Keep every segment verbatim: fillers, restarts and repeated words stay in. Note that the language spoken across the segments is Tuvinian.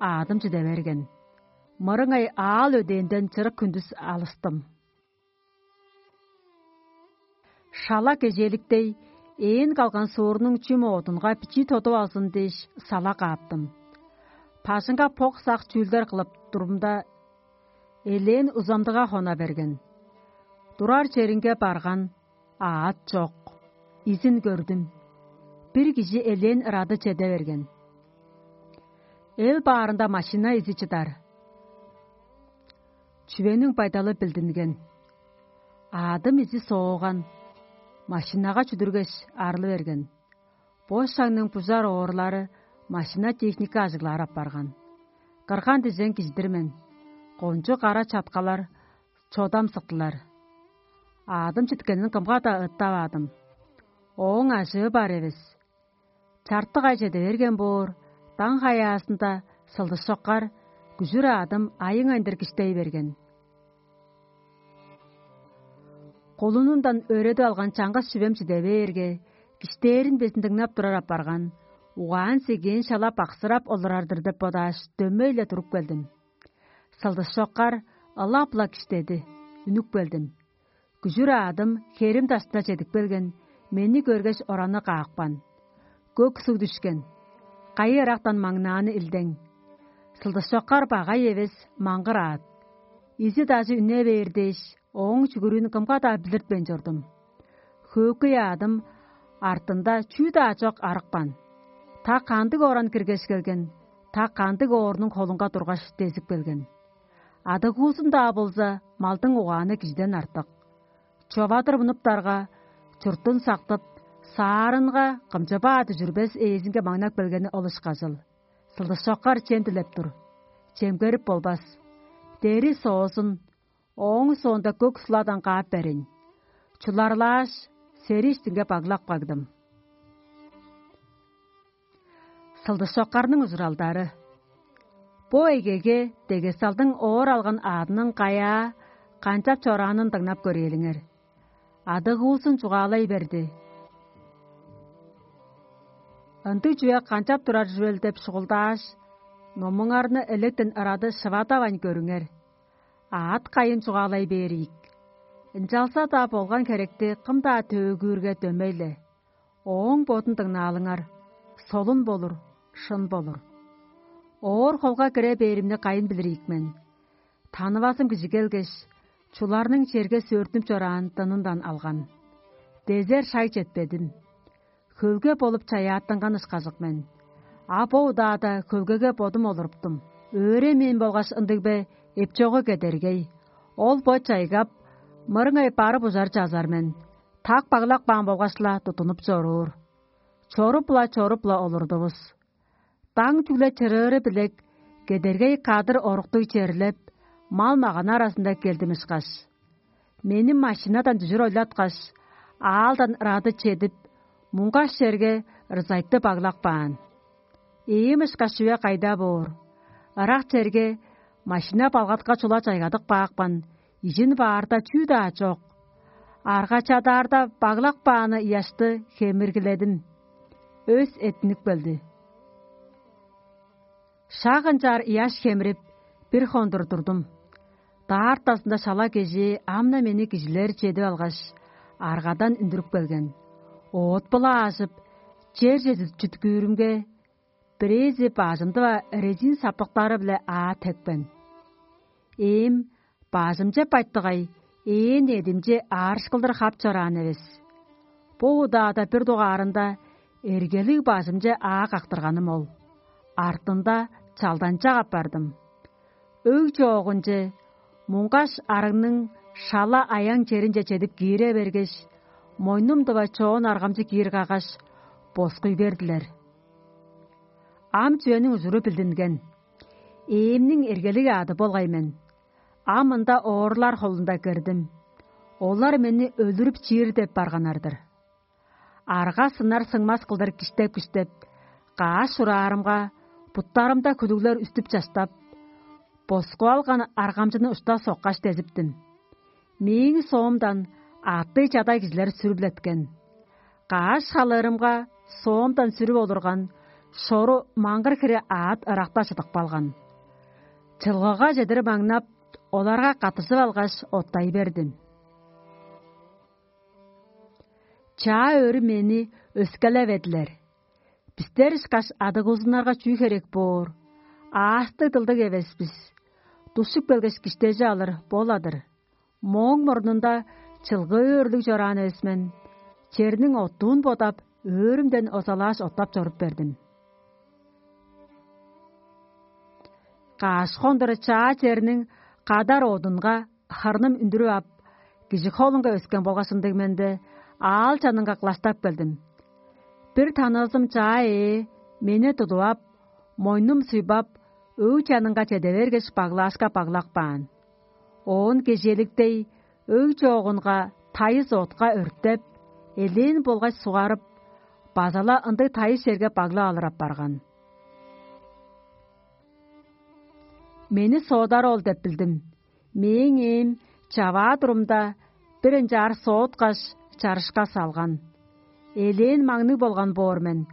аадым чиде берген. Мырыңай аал өдээнден чырык хүндүс алыстым. Шала кежээликтей, ээн калган суурнуң чүм оодунга бичии тодуп алзын дээш, сала кааптым. Бажыңга бок-сак чүүлдер кылып турумда, элээн узамдыга хона берген. Турар черинге барган, аът чок. Изин көрдүм. Бир кижи элээн ырады чеде берген. Эл баарында машина изи чыдар. Чүвениң байдалы билдинген. Аадым изи сооган, машинага чүдүргеш, арылы берген. Бо шагның бужар оорлары машина-техника ажыглаар апарган. Кырган дижен кижидир мен. Кончуг кара чаткалар чодам сыктылар. Аадым читкенин кымга-даа ыттаваадым. Ооң ажыы бар эвес. Чартык ай чеде берген боор, даң хаяазында сылдышоккар күжүр аадым айың айындыр киштей берген. Кулунундан өөредип алган чаңгыс чүвем чиде бээрге, киштээрин безин дыңнап турар апарган, угаан-сегээн шала баксырап олурар-дыр деп бодааш, дөмей-ле туруп келдим. Сылдышоккар ылап-ла киштеди, үнүп келдим. Күжүр аадым херим дашта чедип келген, мени көргеш, ораны каапкан. Көк суг дүшкен. Кайы ырактан маңнааны илдең. Сылдышоккар багай эвес, маңгыр аат. Изи-дажы үне бээр дээш, ооң чүгүрүүн кымга-даа билиртпейн чордум. Хөөкүй аадым артында чүү-даа чок арыкпан. Та кандыг оран киргеш келген, та кандыг оорнуң холунга тургаш дезип келген. Адыгуузун-даа болза, малдың угааны кижиден артык. Човадыр мунуптарга, чуртун сактып, саарынга кымчы-баа дүжүрбес ээзинге маңнап келгени ол ышкажыл. Сылдышоккар чем дилеп тур. Чемгерип болбас. Дери соозун, ооң соонда көк суладан каап берейн. Чуларлааш, сери иштинге баглап кагдым. Сылдышоккарның ужуралдары. Бо эгеге дегесталдың оор алган аадының каяа канчап чораанын дыңнап көрээлиңер. Адыгуузун чугаалай берди. Ындыг чүве канчап турар чүвел деп шугулдааш, номуңарны электен ырады шывадавайн көрүңер. Аът кайын чугаалай бээр ийик. Ынчалза-даа болган херекти кым-даа төөгүүрге дөмей-ле. Ооң бодун дыңнаалыңар, солун болур, шын болур. Оор холга кире бээримни кайын билир ийик мен. Танывазым кижи келгеш, чуларның черге сөөртүнүп чораан дынындан алган. Дезер шай четпедим. Хөлге болуп чаяаттынган ышкажык мен. А бо удаада хөлгеге бодум олуруптум. Өөренмээн болгаш ындыг бе, эпчогу кедергей. Ол бо чайгап, мырыңай барып ужар чазар мен. Так баглап каан болгаш-ла тудунуп чоруур. Чоруп-ла, чоруп-ла олурдувус. Даң чүгле чырыыры билек, кедергей кадыр оруктуг черлеп, мал-маганы аразында келдим ышкаш. Мени машинадан дүжүр ойлаткаш, аалдан ырады чедип, муңгаш черге ырзайтты баглап каан. Ийим ышкаш чүве кайда боор? Ырак черге машина балгатка чула чайгадып каапкан, ижин баарда чүү-даа чок. Арга чадаарда баглап кааны ыяшты хемиргиледим. Өс эттинип келди. Шак ынчаар ыяш хемирип, бир хондур турдум. Даартазында шала кежээ ам-на мени кижилер чедип алгаш, аргадан үндүрүп келген. Оът-биле аажып, черже чүткүүрүмге, бирээзи бажымды-ла резин сапыктары-биле аа тепкен. Эм бажымче байтыгай, ээн эдимче аарышкылдыр хап чораан эвес. Бо удаада бир дугаарында эргелиг бажымче аа кактырганым ол. Артында чалданчак апардым. Өг чоогунче, муңгаш арыгның шала аяң черинче чедип киире бергеш, мойнум-дыва чоон аргамчы киир каггаш, боскуй бердилер. Ам чүвениң ужуру билдинген. Ээмниң эргелиг аады болгай мен. Ам ында оорлар холунда кирдим. Олар мени өлүрүп чиир деп барганнар-дыр. Арга сынар-сыңмас кылдыр киштеп-киштеп, каш чураарымга, буттарымда хүлүглер үстүп-чаштап, боскуп алган аргамчыны ушта соккаш дезиптим. Мээң соомдан аъттыг чадай кижилер сүрүп-ле эрткен. Каш халыырымга соомдан сүрүп олурган Шору маңгыр хире аът ыракта чыдып калган. Чылгыга чедир маңнап, оларга каттыжып алгаш, оттай бердим. Чаа өрү мени өскелеведилер. Бистер ышкаш адыгуузуннарга чүү херек боор? Аастыг-дылдыг эвес бис. Душуп келгеш, киштежи алыр бол-адыр. Мооң мурнунда чылгыы өрлүг чораан эвес мен. Черниң оттуун бодап, өөрүмден озалааш оттап чоруп бердим. Каш хондура чаа черниң кадар одунга хырным үндүрүп ап, кижи холунга өскен болгаш ындыг менде аал чанынга кылаштап келдим. Бир таныызым чаа ээ мени тудуп ап, мойнум суйбап, өг чанынга чеде бергеш, баглаашка баглап каан. Оон кежээликтей өг чоогунга тайыс отка өртеп, элээн болгаш сугарып, база-ла ындыг тайыс черге баглап алыр апарган. Мени соодар ол деп билдим. Мээң ээм чаваа турумда, бир ынчаар сооткаш, чарышка салган. Элээн маңныг болган боор мен.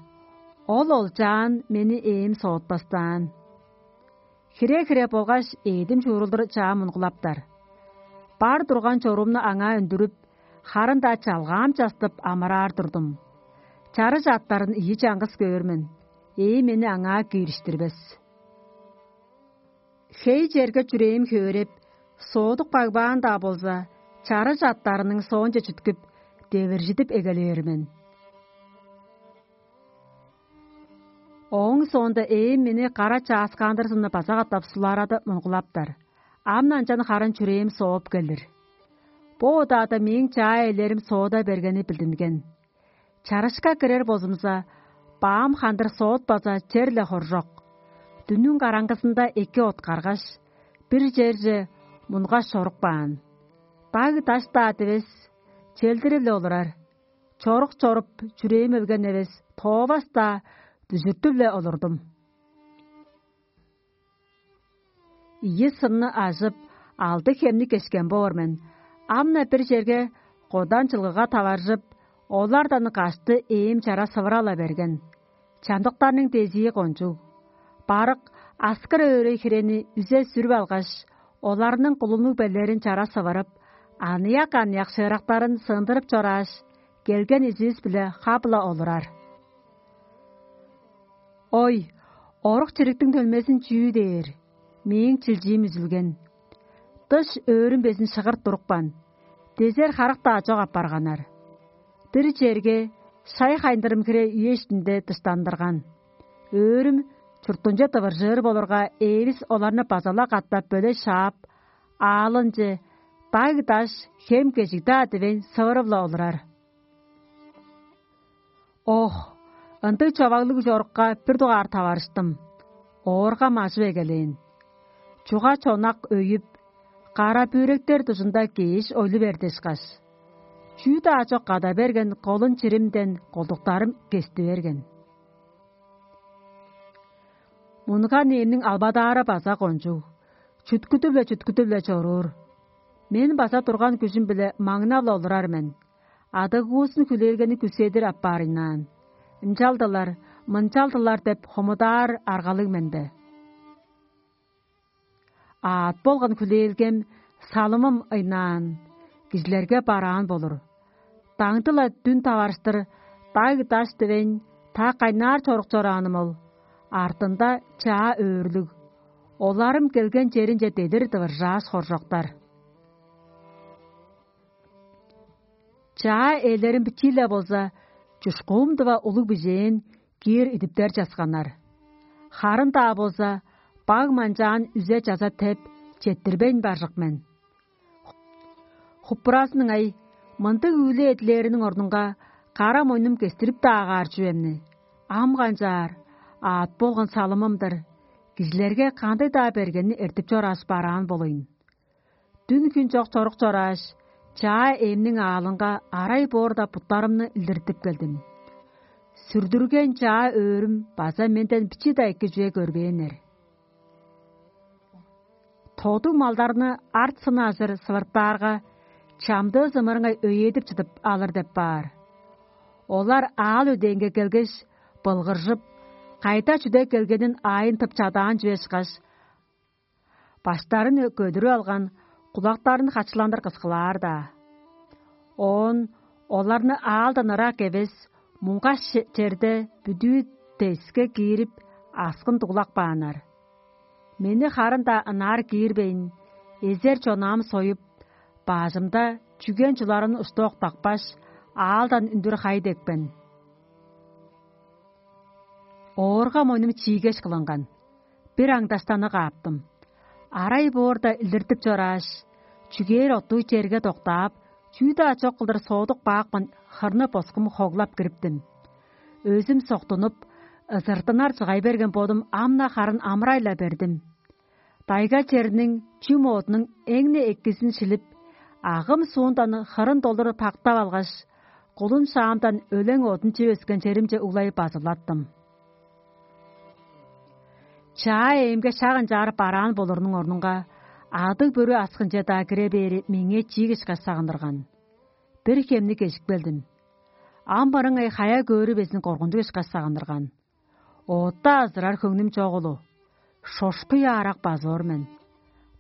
Ол олчаан мени ээм соотпастаан. Хире-хире болгаш ээдим чуурулдур чаа мунгулаптар. Бар турган чоруумну аңаа үндүрүп, харын-даа чалгаам частып амыраар турдум. Чарыш аттарын ийи чаңгыс көөр мен, ээ мени аңаа киириштирбес. Хей черге чүрээм хөөреп, соодук багбаан-даа болза, чарыш аттарының соонче чүткүп, девиржидип эгелээр мен. Ооң соонда ээм мени кара чааскаандырзынны база катап суларадып мунгулаптар. Ам ынчан харын чүрээм сооп келир. Бо удаада мээң чаа ээлерим соода бергени билдинген. Чарышка кирер болзумза, баам хандыр соот база чер-ле хоржок. Дүннүң караңгызында эки откаргаш, бир черже мунгаш чорук баан. Даг-даш-даа дивес, челдирип-ле олурар. Чорук чоруп, чүрээм өлген эвес, тоовас-даа, дүжүртүп-ле олурдум. Ийи сынны ажып, алды хемни кешкен боор мен. Ам-на бир черге кодан чылгыга таваржып, олардан кашты ээм чара сывыра-ла берген. Чамдыктарның дезии кончуг. Барык аскыр өөрей хирени үзе сүрүп алгаш, оларның кулуннуг белерин чара сывырып, аныяк-аныяк шыырактарын сындырып чорааш, келген изивис-биле хап-ла олурар. Ой, орук чириктиң төлмезин чүү дээр? Мээң чилчиим үзүлген. Дыш өөрүм безин шыгырт турупкан, дезер харык-даа чок апарганнар. Бир черге шай хайындырым хире үе иштинде дыштандырган. Өөрүм чуртунче тывыржыыр болурга, ээвис оларны база-ла катап бөле шаап, аалынче даг-даш, хем-кежиг-даа дивейн сывырып-ла олурар. Ох, ындыг човаглыг чорукка бир дугаар таварыштым. Ооргам ажып эгелээн. Чуга-чонак өйүп, кара бүректер дужунда кээш ойлу берди ышкаш. Чүү-даа чок када берген колун чиримден колдуктарым кести берген. Мунган ээмниң албадаары база кончуг, чүткүдүп-ле, чүткүдүп-ле чоруур. Мен база турган күжүм-биле маңнап-ла олурар мен. Адыгуузун хүлээлгени күседир аппаарыйнаан. Ынчалдылар, мынчалдылар деп хомудаар аргалыг мен бе? Аът болган хүлээлгем, салымым ыйнаан, кижилерге бараан болур. Даңды-ла дүн таварыштыр даг-даш дивейн, та кайнаар чорук чорааным ол. Артында чаа өөрүлүг. Оларым келген черинче дедир дывыржааш хоржоктар. Чаа ээлерим бичии-ле болза, чушкуум дыва улуг бижээн киир идиптер часканнар. Харын-даа болза, баг манчаан үзе чаза теп, четтирбейн баржык мен. Хуппуразының ай, мындыг үүле эдилээриниң орнунга кара мойнум кестирип-даа аар чүвемни. Ам канчаар, аът болган салымым-дыр, кижилерге кандыг-даа бергенни эртип чорааш бараан болуйн. Дүн-хүн чок чорук чорааш, чаа ээмниң аалынга арай боорда буттарымны илдиртип келдим. Сүрдүрген чаа өөрүм база менден бичии-даа эки чүве көрбээннер. Тодуг малдарны арт сынажыр сывыртаарга, чамдыы зымырыңай өйедип чыдып алыр деп баар. Олар аал өдээнге келгеш, былгыржып, кайда чүде келгенин аайын тып чадаан чүве ышкаш, баштарын көдүрүп алган, кулактарын хачыландыр кыскылаар-даа. Оон оларны аалдан ырак эвес, муңгаш черде бүдүү деске киирип, аскын дуглап кааннар. Мени харын-даа ынаар киирбейн, эзер чонаам союп, бажымда чүген чуларын ушта октапкаш, аалдан үндүр хай депкен. Оорга мойнум чиигеш кылынган. Бир аңдаштаны кааптым. Арай боорда илдиртип чорааш, чүгээр оттуу черге доктаап, чүү-даа чок кылдыр соодук баапкан хырны боскум хоглап кириптим. Өзүм соктунуп, ызыртынар чыгай берген бодум ам-на харын амырай-ла бердим. Дайга черниң чүм оодунуң эң-не эккизин шилип, агым суундан хырын долур пактап алгаш, кулун шаамдан өлең оодун чип өскен черимче углай базылаттым. Чаа ээмге шак ынчаар бараан болурунуң орнунга, адыг-бүрү аскынче-даа кире бээри меңээ чиик ышкаш сагындырган. Бир хемни кежип келдим. Ам барыңай хая көөрү безин коргунчуг ышкаш сагындырган. Оотта азырар хөңнүм чогулу, шошкуй аарак базы ор мен.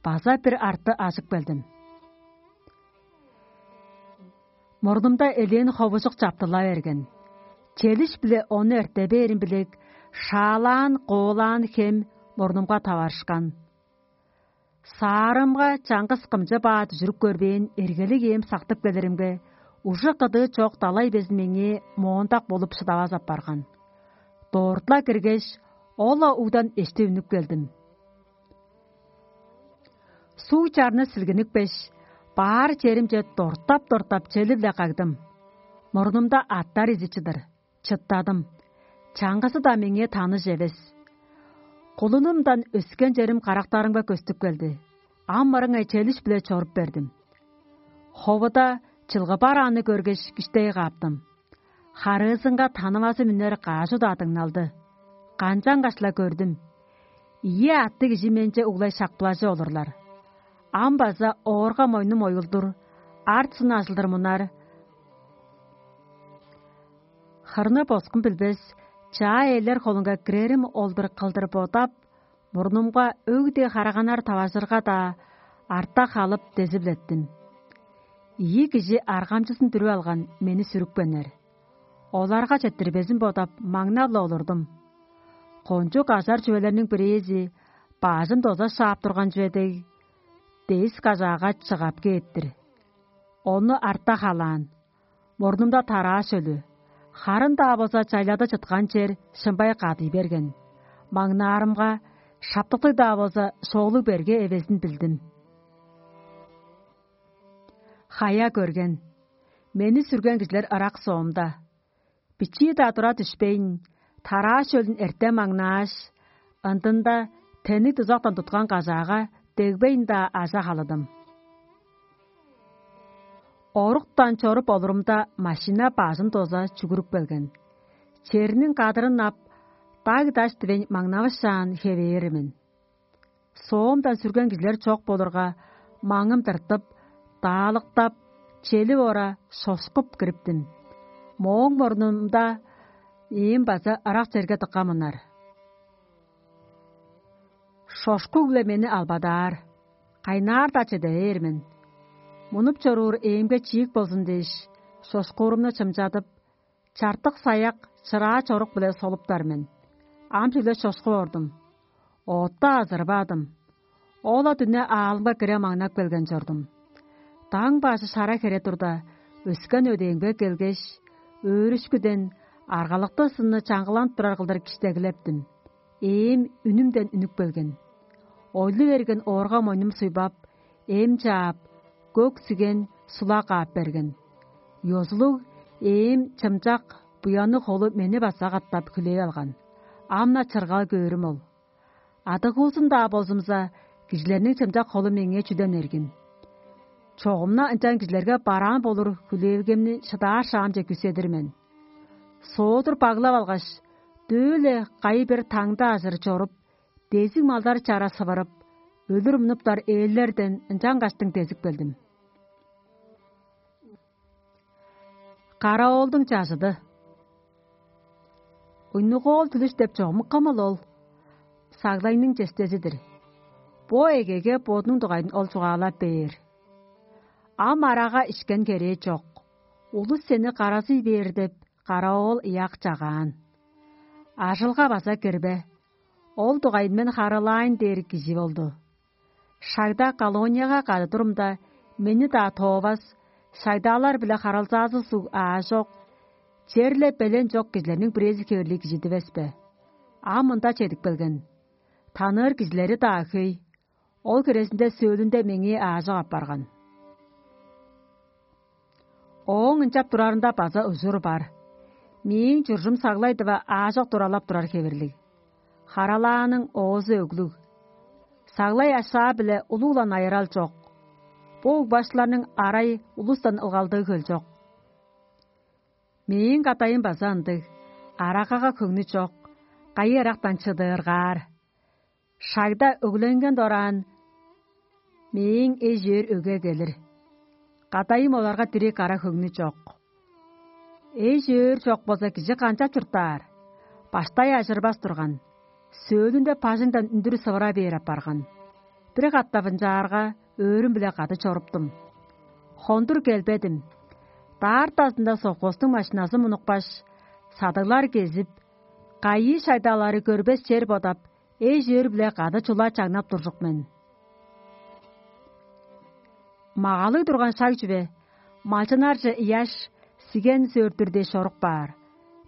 База бир арты ажып келдим. Мурнумда элээн ховужук чаптыла берген. Челиш-биле ону эрте бээрин билек, шаалаан, коолаан хем мурнумга таварышкан. Саарымга чаңгыс кымчы баа дүжүрүп көрбээн эргелиг ээн сактып келиримге, ужук кыдыы чок далай безин меңээ моондак болуп шыдавас апарган. Дорт-ла киргеш, ол-ла угдан эшти үнүп келдим. Суг чарны силгиникпеш, баар черимче дортап-дортап чели-биле кагдым. Мурнумда аттар изи чыдыр. Чыттадым. Чаңгызы-даа меңээ таныш эвес. Кулунумдан өскен черим карактарымга көстүп келди. Ам мырыңай челиш-биле чоруп бердим. Ховуда чылгы барааны көргеш, киштей кааптым. Харыызынга танывазы мүнер каажы-даа дыңналды. Канчангаш-ла көрдүм. Ийи атты кижи менче углай шакпылажы олурлар. Ам база оорга мойнум оюлдур, арт-сына ажылдыр мунар. Хырны боскун билбес, чаа ээлер холунга кирерим ол-дур кылдыр бодап, мурнумга өг-дээ хараганнар таважырга-даа арта халып дезип-леттим. Ийи кижи аргамчызын дүрүп алган мени сүрүпкеннер. Оларга четтирбезин бодап, маңнап-ла олурдум. Кончуг ажар чүвелерниң бирээзи бажын доза шаап турган чүве дег, дээс кажаага чыгап кээп-тир. Ону арта халаан, мурнумда тараа шөлү, харын-даа болза чайлада чыткан чер шымбай кадый берген. Маңнаарымга, шаптыктыг-даа болза шоолуг берге эвезин билдим. Хая көрген, мени сүрген кижилер ырак соомда. Бичии-даа тура дүшпейн, тараа шөлүн эртем аңнааш, ындында тенниг дузактан туткан кажаага дегбейн-даа ажа халыдым. Оруктан чоруп олурумда, машина бажын доза чүгүрүп келген. Черниң кадырын ап, даг-даш дивейн маңнавышаан хевээр мен. Соомдан сүрген кижилер чок болурга, маңым тыртып, даалыктап, челип ора шошкуп кириптим. Мооң мурнунда ээн база ырак черге дыка мунар. Шошкуг-биле мени албадаар, кайнаар-даа чеде бээр мен. Мунуп чоруур ээмге чиик болзун дээш, шошкуурумну чымчадып, чартык саяк чыраа чорук-биле солуптар мен. Ам чүгле чошкуп ордум. Оотта азырбадым. Ол-ла дүне аалымга кире маңнап келген чордум. Даң бажы шара хере турда, өскен өдээмге келгеш, өөрүшкүден аргалыктыг сынны чаңгыланып турар кылдыр киштегилептим. Ээм үнүмден үнүп келген. Ойлу берген оорга мойнум суйбап, эм чаап, көк сиген, сулак аап берген. Ёзулуг ээн чымчак буянныг холу мени база катап хүлээп алган. Ам-на чыргал көөрүм ол. Адыгуузун-даа болзумза, кижилерниң чымчак холу меңээ чүден эргим. Чогум-на ынчан кижилерге бараан болур хүлээлгемни шыдаар шаамче күүседир мен. Соодур баглап алгаш, дөө-ле кайы-бир таңды ажыр чоруп, дезиг малдар чара сывырып, өлүр мунуптар ээлерден ынчангаштың дезип келдим. Караоолдуң чажыды. Уйнугоол түлүш деп чогум кымыл ол? Саглайның честези-дир. Бо эгеге бодунуң дугайын ол чугаалап бээр. Ам арага ишкен херээ чок. Улус сени каразый бээр деп, каравоол ыяк чагаан. Ажылга база кирбе. Ол дугайын мен харылаайн дээр кижи болду. Шагда колонияга кады турумда, мени-даа тоовас, шагдаалар-биле харылзаазы суг аажок, черле белен чок кижилерниң бирээзи хевирлиг кижи дивес бе? Ам мында чедип келген. Таныыр кижилери-даа хөй. Ол хирезинде сөөлүнде меңээ аажок апарган. Ооң ынчап турарында база ужур бар. Мээң чуржум саглай дыва аажок туралап турар хевирлиг. Харалааның оозу өглүг. Саглай ашаа-биле улуг-ла найырал чок. Бо угбаштыларның арай улустан ылгалдыы хөл чок. Мээң кадайым база ындыг. Арагага хөңнү чок, кайы ырактан чыдыыргаар. Шагда өгленген дораан, мээң эш-өөр өгге келир. Кадайым оларга дириг кара хөңнү чок. Эш-өөр чок болза, кижи канчап чурттаар? Баштай ажырбас турган, сөөлүнде бажыңдан үндүр сывыра бээр апарган. Бир катап ынчаарга, өөрүм-биле кады чоруптум. Хондур келбедим. Даартазында совхоздуң машиназы мунупкаш, садыглар кезип, кайы шагдаалары көрбес чер бодап, эш-өөр-биле кады чула чаңнап туржук мен. Магалыг турган шаг чүве, малчыннарже ыяш, сиген сөөртүр дээш чорук баар.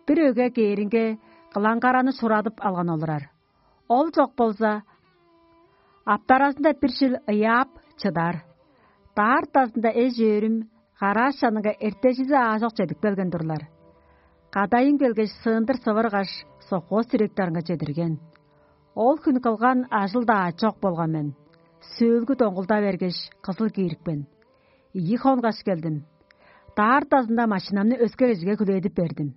Бир өгге кээринге, кылаңгараны шурадып алган олурар. Ол чок болза, аптаразында бир чыл ыяап чыдар. Даартазында эш-өөрүм гарааш чанынга эртежизи аажок чедип келген турлар. Кадайым келгеш, сыындыр сывыргаш, совхоз директорунга чедирген. Ол хүн кылган ажыл-даа чок болган мен. Сөөлгү доңгулда бергеш, кызыл киирипкен. Ийи хонгаш келдим. Даартазында машинамны өске кижиге хүлээдип бердим.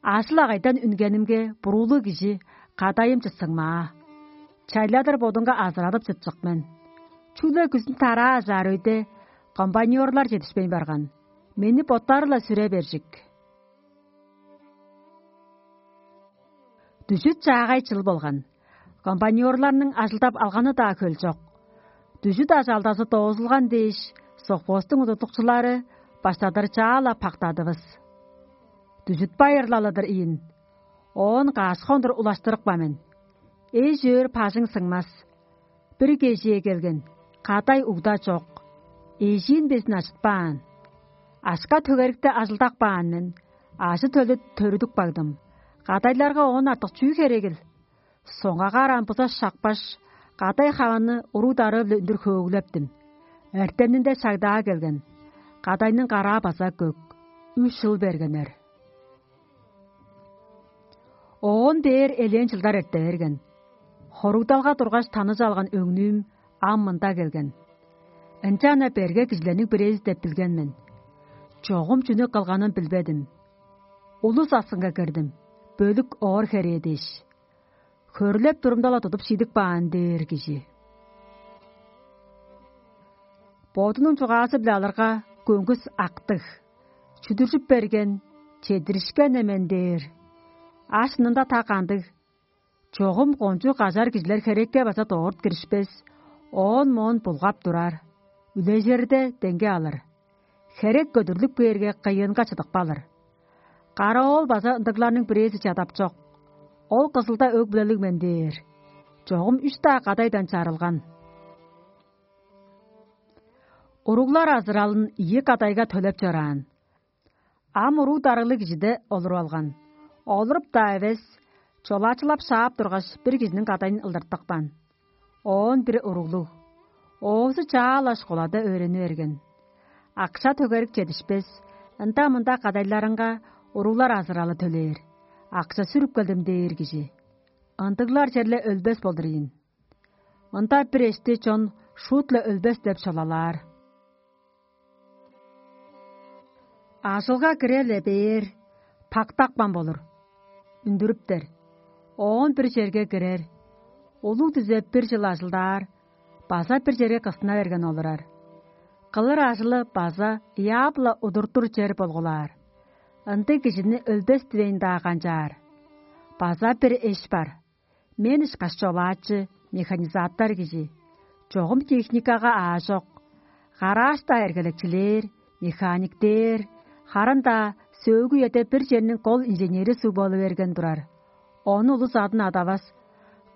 Ажыл-агайдан үнгенимге, буруулуг кижи кадайым чыссыңмаа. Чайладыр бодунга азырадып чыпчык мен. Чүгле күзүн тараа ажаар өйде, комбайнёрлар чедишпейн барган. Мени боттары-ла сүре бержик. Дүжүт чаагай чыл болган. Комбайнёрларның ажылдап алганы-даа хөл чок. Дүжүт ажалдазы доозулган дээш, совхоздуң удуртукчулары баштадыр чаа-ла пактадывыс. Дүжүт байырлалыдыр ийин. Оон каш хондур улаштырыпкан мен. Эш-өөр бажың сыңмас. Бир кежээ келген, кадай угда чок. Эжиин безин ажытпаан. Ашка төгерикте ажылдап каан мен, ажы-төлү төрүдүп кагдым. Кадайларга оон артык чүү херегил? Соңгагаар ам буза шакпаш, кадай хаваны уруг-дарыы-биле үндүр хөөглептим. Эртенинде шагдаа келген. Кадайның караа база көк. Үш чыл бергеннер. Оон бээр элээн чылдар эрте берген. Хоругдалга тургаш, таныжа алган өңнүүм ам мында келген. Ынчан-на берге кижилерниң бирээзи деп билген мен. Чогум чүнү кылганын билбедим. Улус аксынга кирдим, бөлүк оор херээ дээш. Хөрлеп турумда-ла тудуп шидип каан дээр кижи. Бодунуң чугаазы-биле алырга, көңгүс актыг. Чүдүржүп берген, чедиришкен-не мен дээр. А шынында та кандыг? Чогум кончуг кажар кижилер херекке база дорт киришпес, оон-моон булгап турар, үлежирде деңге алыр. Херек көдүрлүп кээрге, кыйыынга чыдып калыр. Кара-оол база ындыгларның бирээзи чадап чок. Ол кызылда өг-бүлелиг мен дээр. Чогум үш-даа кадайдан чарылган. Уруглар азыралын ийи кадайга төлеп чораан. Ам уруг-дарыглыг кижиде олуруп алган. Олуруп-даа эвес, чолаачылап шаап тургаш, бир кижиниң кадайын ылдыртыпкан. Оон бир уруглуг. Оозу чаа-ла школада өөрени берген. Акша-төгерик чедишпес, ында-мында кадайларынга уруглар азыралы төлээр. Акша сүрүп келдим дээр кижи. Ындыглар черле өлбес болдур ийин. Ында бир эшти чон шуут-ла өлбес деп шылалаар. Ажылга кире-ле бээр, пактапкан болур, үндүрүптер. Оон бир черге кирер, улуг дизе бир чыл ажылдаар, база бир черге кыстына берген олурар. Кылыр ажылы база ыяап-ла удуртур чер болгулаар. Ындыг кижини өлбес дивейн-даа канчаар. База бир эш бар. Мен ышкаш чолаачы, механизатор кижи. Чогум техникага аажок. Гаражта эргелекчилээр, механиктээр, харын-даа сөөлгү үеде бир черниң кол инженери суг болу берген турар. Ону улус адын адавас,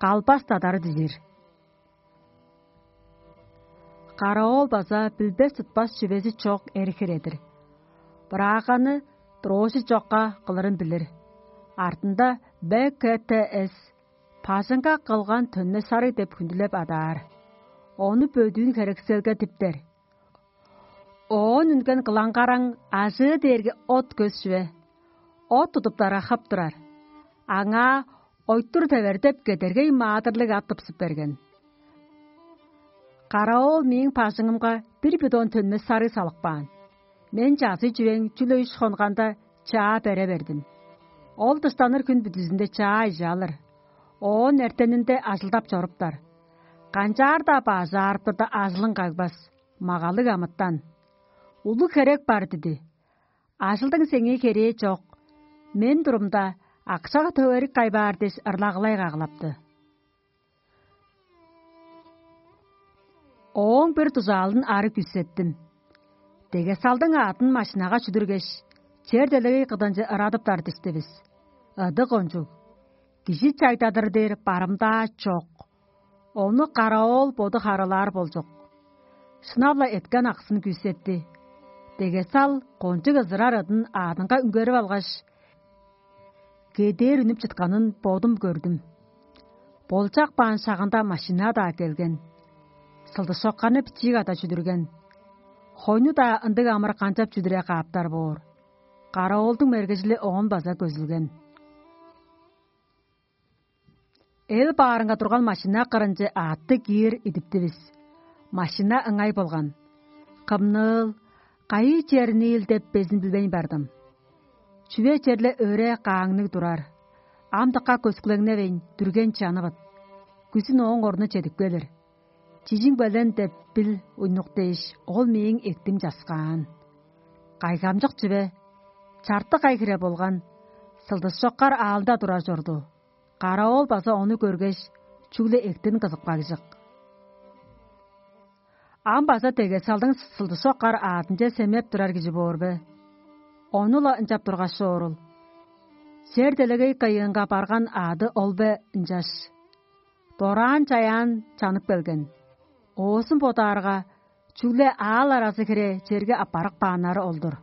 калбас дадары дижир. Караоол база билбес-тутпас чүвези чок эр-хире-дир. Бырааганы дрожжи чокка кылырын билир. Артында Б К Т С бажыңга кылган төнме сарыг деп хүндүлеп адаар. Ону бөдүүн херекселге диптер. Оон үнген кылаңгараң ажыы дээрге от көс чүве. От тудуптара хып турар. Аңаа ойтур тевердеп кедергей маадырлыг ат тыпсып берген. Караоол мээң бажыңымга бир бидон төнмес сарыг салып каан. Мен чазый чүвең чүгле үш хонганда чаа бере бердим. Ол дыштаныр хүн бүдүзүнде чаа ижаалыр. Оон эртенинде ажылдап чоруптар. Канчаар-даа баажаарыптарда ажылың кагбас, магалыг амытан. Улуг херек бар диди. Ажылдың сеңээ херээ чок. Мен турумда акшага төгерик кайбаар дээш ырлагылай каглапты. Ооң бир дужаалын ары күүсеттим. Дегесалдың аатын машинага чүдүргеш, чер делегей кыдынче ырадыптар диштивис. Ыдык ончуг. Кижи чайдадыр дээр барымдаа чок. Ону караоол боду харылаар болчук. Шынап-ла эткен аксын күүсетти. Дегесал кончуг ызырар ыдын аадынга үнгерип алгаш, кедээр үнүп чытканын бодум көрдүм. Болчак баан шагында машина-даа келген. Сылдышокканы бичии када чүдүрген. Хойну-даа ындыг амыр канчап чүдүре кааптар боор. Караоолдуң мергежили оон база көзүлген. Эл баарынга турган машина кырынче аътты киир идиптивис. Машина ыңай болган. Кымныыл, кайы черниил деп безин билбейн бардым. Чүве черле өре кааңныг турар. Ам дыка көскүлеңневейн, дүрген чанывыт. Күзүн ооң орну чедип келир. Чижиң белен деп бил уйнук дээш, ол мээң эктим часкаан. Кайгамчык чүве, чартык ай хире болган, сылдыс чоккар аалда турар чорду. Караоол база ону көргеш, чүгле эктин кызыпкагжык. Ам база дегесалдың сылдыс чоккар аадынче семеп турар кижи боор бе? Ону-ла ынчап тургаш чоорул. Сер делегей кыйыынга барган аады ол бе ынчаш? Дораан-чаяан чанып келген. Оозун бодаарга, чүгле аал аразы хире черге аппарып кааннары ол-дур.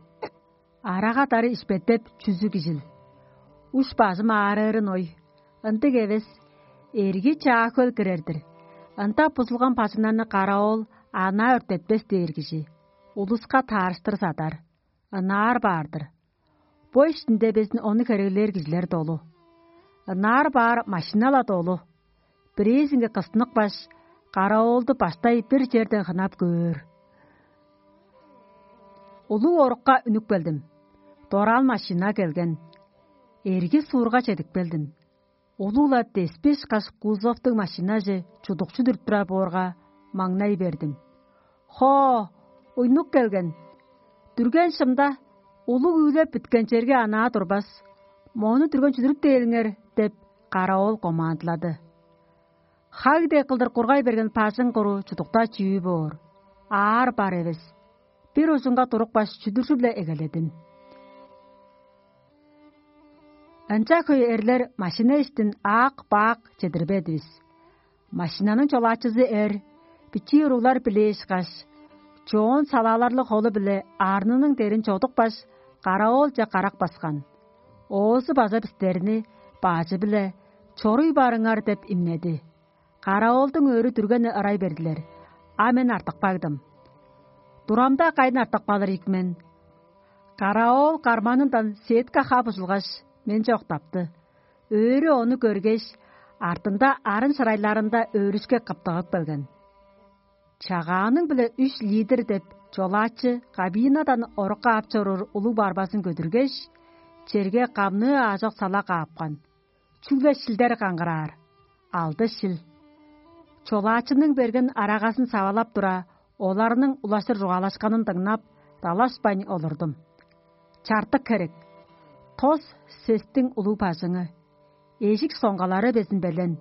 Арага-дары ишпеттеп чүзү кижил. Уш-бажым аарыырын ой. Ындыг эвес, эрги чаа хөл кирер-дир. Ында бузулган бажыңнарны караоол анаа өртетпес дээр кижи. Улуска таарыштыр садар. Ынаар баар-дыр. Бо иштинде безин ону хереглээр кижилер долу. Ынаар баар машина-ла долу. Бирээзинге кыстыныкпаш, караоолду баштай бир черден хынап көөр. Улуг орукка үнүп келдим. Дораан машина келген. Эрги суурга чедип келдим. Улуг-ла деспи ышкаш кузовтуг машинаже чудукчу дүрүп турар боорга, маңнай бердим. Хоо, уйнук келген. Дүрген шымда улуг үүлеп бүткен черге анаа турбас, мону дүрген чүдүрүп дээлиңер деп, караоол командылады. Хаг дег кылдыр кургай берген бажың куру чудукта чүү боор, аар бар эвес. Бир ужунга турупкаш, чүдүржү-биле эгеледим. Ынча хөй эрлер машина иштин аак-баак чедирбедивис. Машинаның чолаачызы эр, бичии уруглар билээшкаш, чоон салааларлыг холу-биле арнының дерин чодупкаш, караоолче карак баскан. Оозу база бистерни баажы-биле: «Чоруй барыңар» – деп имнеди. Караоолдуң өрү дүргени ырай бердилер, а мен артып кагдым. Турамда кайын артып калыр ийик мен? Караоол карманындан сетка хап ужулгаш, менче октапты. Өрү ону көргеш, артында арын шырайларында өөрүшке кыптыгып келген. «Чагааның-биле үш литр» – деп, чолаачы кабинадан орукка ап чоруур улуг барбазын көдүргеш, черге камныы аажок сала каапкан. Чүгле шилдер каңгыраар. Алды шил. Чолаачының берген арагазын савалап тура, оларның улаштыр чугаалашканын дыңнап, далашпайн олурдум. Чартык херек. Тос сестиң улуг бажыңы. эжик соңгалары безин белен.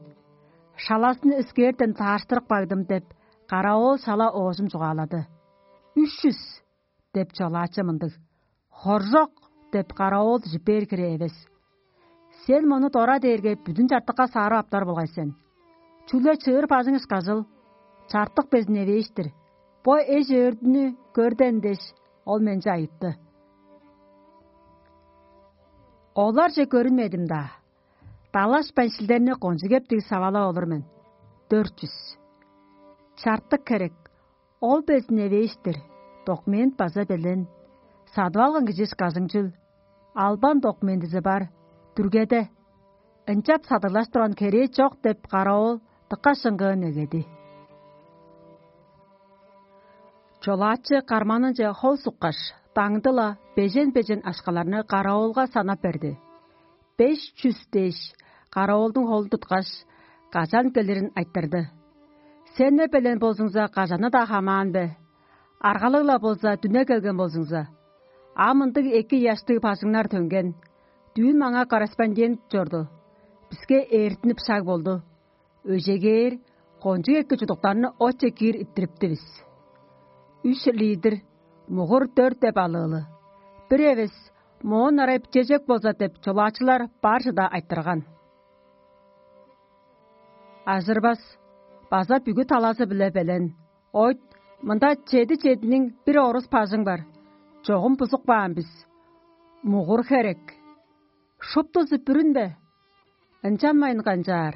Шаласын өскээрден тааштырып кагдым деп, каравоол шала оожум чугаалады. «Үш чүс» — деп чолаачы мындыг. «Хоржок» — деп каравоол дижип бээр хире эвес. Сен мону дора дээрге бүдүн чартыкка саарып аптар болгай сен. Чүгле чыыр бажың ышкажыл, чартык безин эвээш-тир. Бо эш-өөрдүнү көрден дээш, ол менче айытты. Оларже көрүнмедим-даа. Далашпайн шилдерни кончуг эптиг савалап олур мен. Дөрт чүс. Чартык херек. Ол безин эвээш-тир. Документ база белен. Садып алган кижи ышкажыңчыл. Албан документизи бар. Дүргеде. Ынчап садыглаш турган херээ чок деп, каравыл дыка шыңгыын эгеди. Чолаачы карманынче хол суккаш, даңды-ла бежен-бежен акшаларны каравылга санап берди. «Беш чүс» дээш, каравылдың холун туткаш, кажан келирин айтырды. «Сен не белен болзуңза, кажаны-даа хамаан бе? Аргалыг-ла болза, дүне келген болзуңза. А мындыг эки ыяштыг бажыңнар төнген. Дүүн маңаа корреспондент чорду. Биске ээртинип шаг болду. Өжегээр, кончуг эки чудуктарны отче киир иттирипти бис. Үш литр, мугур дөрт деп алыылы. Бир эвес, моон арай бичежек болза» — деп, чолаачылар бар чыда айтырган. Ажырбас, база бүгү талазы-биле белен. «Ойт, мында чеди чединиң бир орус бажың бар. Чогум бузуп каан бис. Мугур херек». «Шуптузу бүрүн бе? Ынчанмайн канчаар?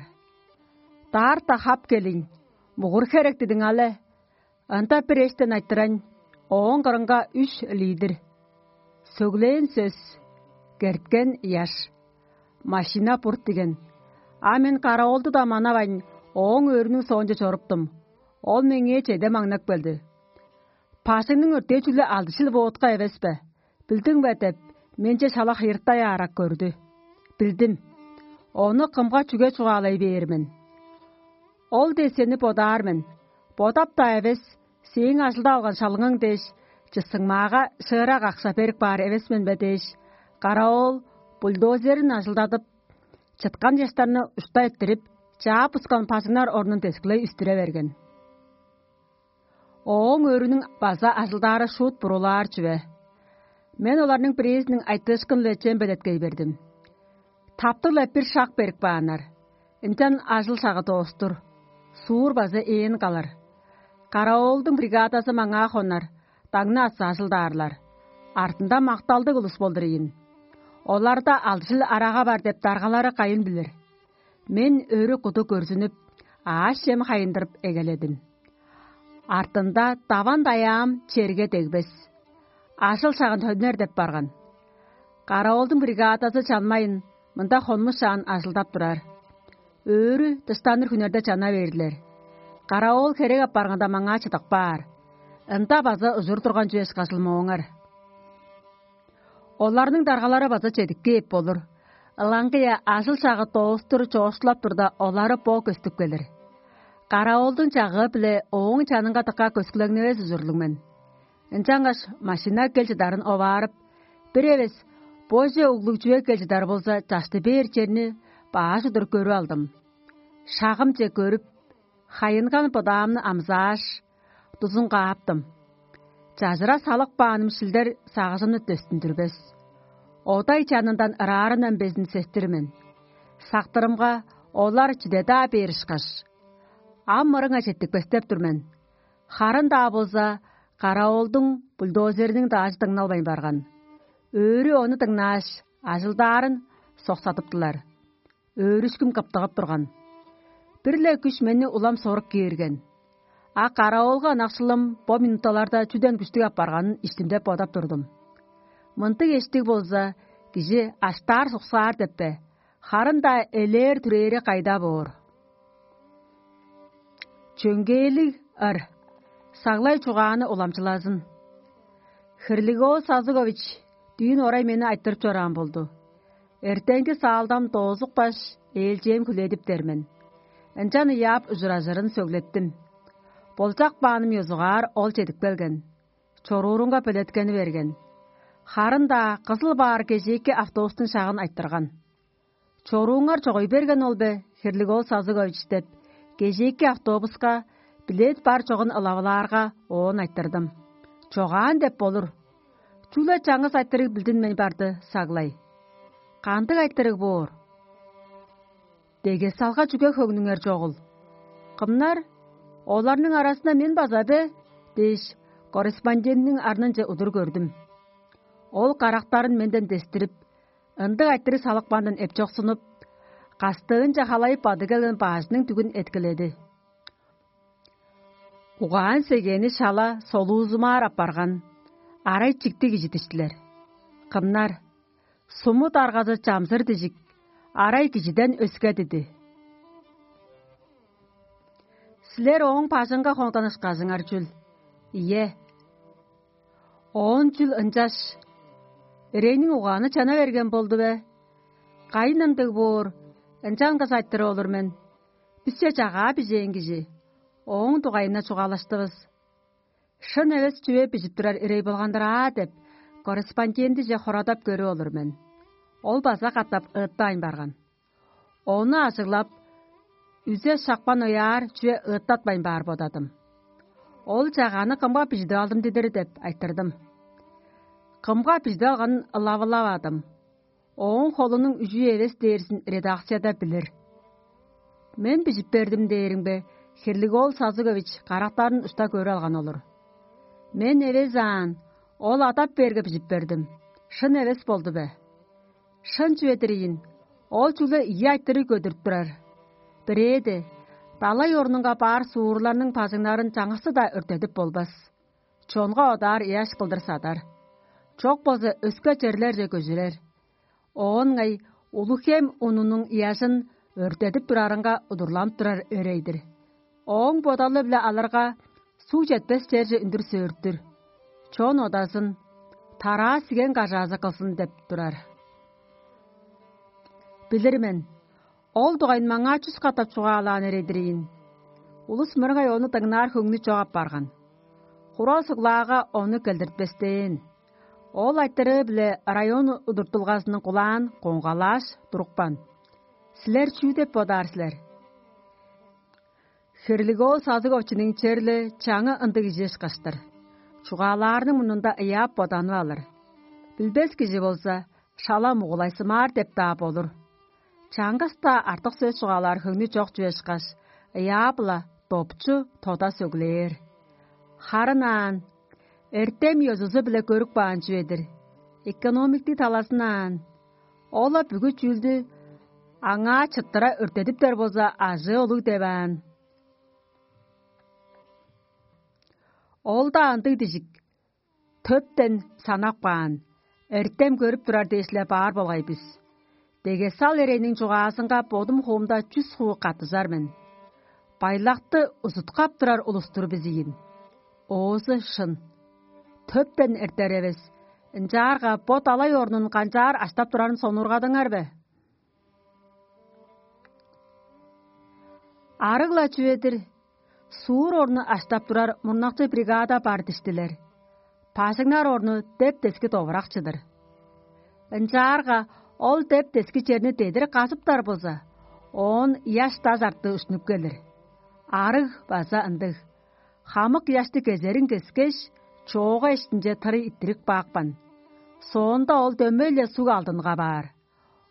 Даарта хап келиң, мугур херек дидиң але. Ында бир эштен айтырайн, ооң кырынга үш литр. Сөглээн сөс: керткен ыяш. Машина бурт диген. А мен каравылды-даа манавайн, ооң өөрүнүң соонче чоруптум. Ол меңээ чеде маңнап келди. Бажыңның өртээ чүгле алды шил водка эвес бе? Билдиң бе?» — деп, менче шала хыйырттай аарак көрдү. Билдим. Ону кымга чүге чугаалай бээр мен? Ол дээш сени бодаар мен. Бодап-даа эвес, сээң ажылдап алган шалыңың дээш, чысыңмаага шыырак акша берип каар эвес мен бе дээш, каравыл бульдозерин ажылдадып, чыткан чаштарны ушта эрттирип, чаап-бускан бажыңнар орнун дескилей үстүре берген. Ооң өөрүнүң база ажылдаары шуут бурулаар чүве. Мен оларның бирээзиниң айтыышкын-биле чем белеткей бердим. Таптыг-ла бир шак берип кааннар. Ынчан ажыл шагы доостур, суур база ээн калыр. Каравылдың бригадазы маңаа хонар, даңны аса ажылдаарлар. Артында макталдыг улус болдур ийин. Оларда алды шил арага бар деп даргалары кайын билир. Мен өрү куду көрзүнүп, аъш-чем хайындырып эгеледим. Артында даван-даяам черге дегбес. Ажыл шагын төнер деп барган. Каравылдың бригадазы чанмайын, мында хонмушаан ажылдап турар. Өөрү дыштаныр хүннерде чана бээрлер. Каравыл херек апарганда маңаа чыдып каар. Ында база ужур турган чүве ышкажыл мооңар. Оларның даргалары база чедип кээп болур. Ылаңгыя ажыл-шагы доостур чоокшулап турда, олары бо көстүп келир. Каравылдың чагыы-биле ооң чанынга дыка көскүлеңневес ужурлуг мен. Ынчангаш машина кел чыдарын оваарып, бир эвес боже углуг чүве кел чыдар болза, чашты бээр черни баш удур көрүп алдым. Шагымче көрүп, хайынган бодаамны амзааш, дузун кааптым. Чажыра салып кааным шилдер сагыжымны дөстүндүрбес. Одай чанындан ыраарындан безин сестир мен. Сактырымга, олар чиде-даа бээр ышкаш. Ам мырыңа четтикпестеп тур мен. Харын-даа болза, каравылдың бульдозериниң даажы дыңналбайн барган. Өөрү ону дыңнааш, ажылдаарын соксадыптылар. Өөрүшкүм кыптыгып турган. Бир-ле күш мени улам сорук киирген. А каравылга ынакшылым бо минуталарда чүден күштүг апарганын иштимде бодап турдум. Мындыг эштиг болза, кижи аштаар-суксаар деп бе, харын-даа элээр-түрээри кайда боор? Чөңгээлиг ыр, саглай чугааны уламчылазын. Хирлигоо Сазыгович дүүн орай мени айтырып чораан болду. Эртенги саалдам доозукпаш, ээлчээм хүледиптер мен. Ынчан ыяап ужуражырын сөглеттим. Болчак бааным ёзугаар ол чедип келген. Чоруурунга белеткени берген. Харын-даа кызыл баар кежээки автобустуң шагын айтырган. «Чорууңар чогуй берген ол бе, Хирлиг-оол Сазыгович?» — деп, кежээки автобуска билет бар чогун ылавылаарга, оон айтырдым: «Чогаан деп болур. Чүгле чаңгыс айтырыг билдинмейн барды саглай. Кандыг айтырыг боор?» «Дегесалга чүге хөңнүңер чогул? Кымнар? Оларның аразында мен база бе?» — дээш, корреспондентниң арнынче удур көрдүм. Ол карактарын менден дестирип, ындыг айтырыг салыпкандан эпчоксунуп, кастыынче халайып бады келген баажының дүгүн эткиледи. Угаан-сегээни шала солуузумаар апарган, арай чиктиг кижи диштилер. Кымнар? Сумут аргазы чамзыр дижик, арай кижиден өске диди. Силер ооң бажыңга хонганышкажыңар чүл? Ийе. Оон чүл ынчаш? Эрейниң угааны чана берген болду бе? Кайын ындыг боор, ынчангаш айтырып олур мен. Бисче чагаа бижээн кижи. Ооң дугайында чугаалаштывыс. «Шын эвес чүве бижип турар ирей болган-дыр аа» — деп, корреспондентиже хорадап көрүп олур мен. Ол база катап ыыттаайн барган. Ону ажыглап, үзе шапкан ояар чүве ыыттатпайн баар бодадым. «Ол чагааны кымга бижидип алдым дидир?» — деп айтырдым. Кымга бижидип алганын ылавыладым. Ооң холунуң үжүү эвес дээрзин редакцияда билир. «Мен бижип бердим дээримге, Хирлиг-оол Сазыгович карактарын ушта көрүп алган олур. Мен эвес аан, ол адап бээрге бижип бердим. Шын эвес болду бе? Шын чүве-дир ийин, ол чүгле ийи айтырыг көдүрүп турар. Бирээде, далай орнунга баар суурларның бажыңнарын чаңгысы-даа өртедип болбас. Чонга одаар ыяш кылдыр садар. Чок болза, өске черлерже көжүрер. Оон ыңай Улуг-Хем унунуң ыяжын өртедип турарынга удурланып турар өрей-дир. Ооң бодалы-биле алырга, суг четпес черже үндүр сөөртүр. Чон одазын, тараа сиген кажаазы кылзын» — деп турар. Билир мен, ол дугайын маңаа чүс катап чугаалаан эрей-дир ийин. Улус мырыңай ону дыңнаар хөңнү чок апарган. Хура суглаага ону келдиртпестээн. Ол айтырыы-биле район удуртулгазының кулаан коңгалааш турупкан. Силер чүү деп бодаар силер? Хирлиг-оол Сазыговичиниң черле чаңы ындыг кижи ышкаш-тыр. Чугаалаарының мурнунда ыяап боданып алыр. Билбес кижи болза, шала мугулайсымаар деп-даа болур. Чаңгыс-даа артык сөс чугаалаар хөңнү чок чүве ышкаш, ыяап-ла допчу тода сөглээр. Харын аан, эртем ёзузу-биле көрүп каан чүве-дир. Экономиктиг талазын аан, ол-ла бүгү чүүлдү аңаа чыттыра өртедиптер болза, ажыы улуг деп аан. Ол-даа ындыг дижик, төптен санап каан, эртем көрүп турар дээш-ле баар болгай бис. Дегесал эрейниң чугаазынга бодум хуумда чүс хуу каттыжар мен. Байлакты узуткап турар улус-тур бис ийин. Оозу шын. Төптен эртер эвес, ынчаарга бо далай орнун канчаар аштап турарын сонуургадыңар бе? Арыг-ла чүве-дир, суур орну аштап турар мурнакчы бригада бар диштилер. Бажыңнар орну деп-дески довуракчы-дыр. Ынчаарга ол деп-дески черни дедир казыптар болза, оон ыяш даш арты ушнуп келир. Арыг база ындыг. Хамык ыяшты кезерин кескеш, чоога иштинче тырый иттирип каапкан. Соонда ол дөмей-ле суг алдынга баар.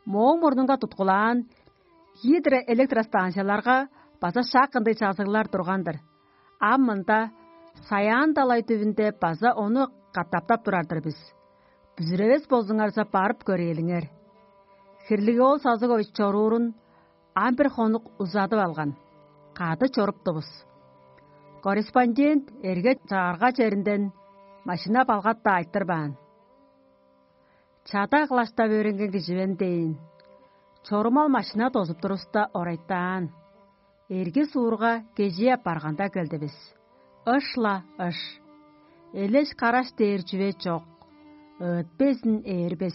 Мооң мурнунга туткулаан гидроэлектростанцияларга база шак ындыг чазыглар турган-дыр. Ам мында, Саян далай түвүнде, база ону катаптап турар-дыр бис. Бүзүревес болзуңарза, барып көрээлиңер. Хирлиг-оол Сазыгович чоруурун ам бир хонук узадып алган. Кады чоруптувус. Корреспондент эрге чагырга черинден машина балгат-даа айтырбаан. Чада кылаштап өөренген кижи мен дээн. Чорумал машина дозуп туруста орайтаан. Эрги суурга кежээ апарганда келдивис. Ыш-ла ыш. Элеш-караш дээр чүве чок. Ыыт безин ээрбес.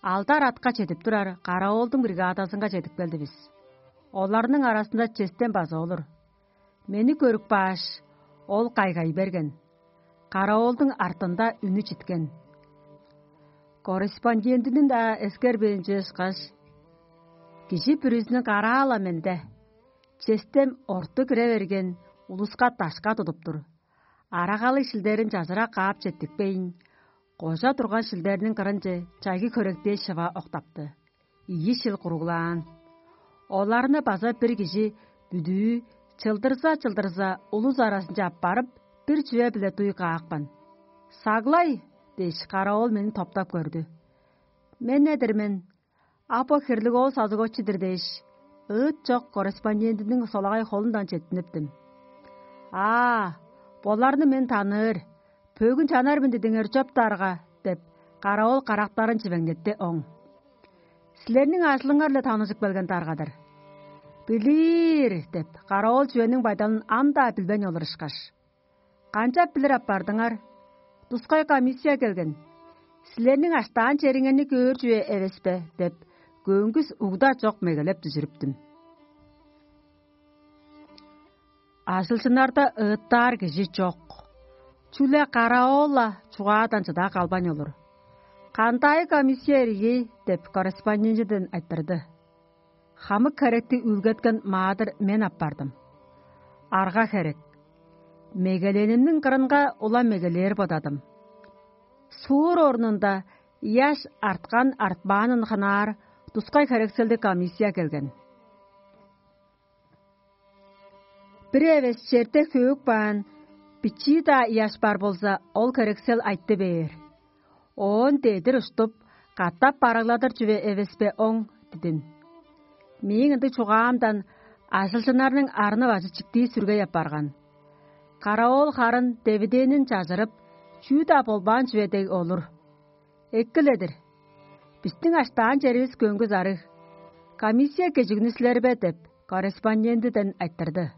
Алдар атка чедип турар караволдуң бригадазынга чедип келдивис. Оларның аразында честен база олур. Мени көрүп кааш, ол кайгай берген. Караволдуң артында үнү читкен. Корреспондентиниң-даа эскербээнче ышкаш, Кижи бүрүзүнүң караала менде, честем орту кире берген улуска дашка тудуп тур. Арагалыг шилдерин чажыра каап четтикпейн, кожа турган шилдерниң кырынче чайгы хөректээ шыва октапты. Ийи шил куруглаан. Оларны база бир кижи бүдүү чылдырза-чылдырза улус аразынче аппарып, бир чүве-биле дуй каапкан. «Саглай!» – дээш, каравыл мени топтап көрдү. «Мен-не-дир мен. А бо хирлиг оол сазыгочу-дур» – дээш, ыыт чок корреспондентиниң солагай холундан четтиниптим. «Аа, боларны мен таныыр, бөгүн чанар мен дидиңер чоптаарга» – деп, каравыл карактарын чивеңнетти оң. «Силерниң ажылыңар-биле таныжып келген дарга-дыр». «Билир» – деп, каравыл чүвениң байдалын ам-даа билбейн олур ышкаш. «Канчап билир апардыңар? Тускай комиссия келген. Силерниң аштаан чериңерни көөр чүве эвес бе?» – деп, көңгүс угда чок мегелеп дүжүрүптүм. Ажылчыннарда ыыттаар кижи чок. Чүгле каравыл-ла чугаадан чыда калбайн олур. «Кандай комиссия ирги?» – деп корреспондентиден айтырды. Хамык херекти үүлгеткен маадыр мен апардым. Арга херек. Мегеленимниң кырынга улам мегелээр бодадым. Суур орнунда ыяш арткан-артпаанын хынаар тускай херекселдиг комиссия келген. Бир эвес черде хөөк баан, бичии-даа ыяш бар болза, ол херексел айтты бээр. Оон дедир уштуп, катап барыгладыр чүве эвес бе оң дидин. Мээң ындыг чугаамдан ажылчыннарның арны-бажы чиктии сүргей апарган. Каравыл харын девидээнин чажырып, чүү-даа болбаан чүве дег олур. «Эккиледир. Бистиң аштаан черивис көңгүс арыг. Комиссия кежигни силер бе?» – деп, корреспондентиден айтырды.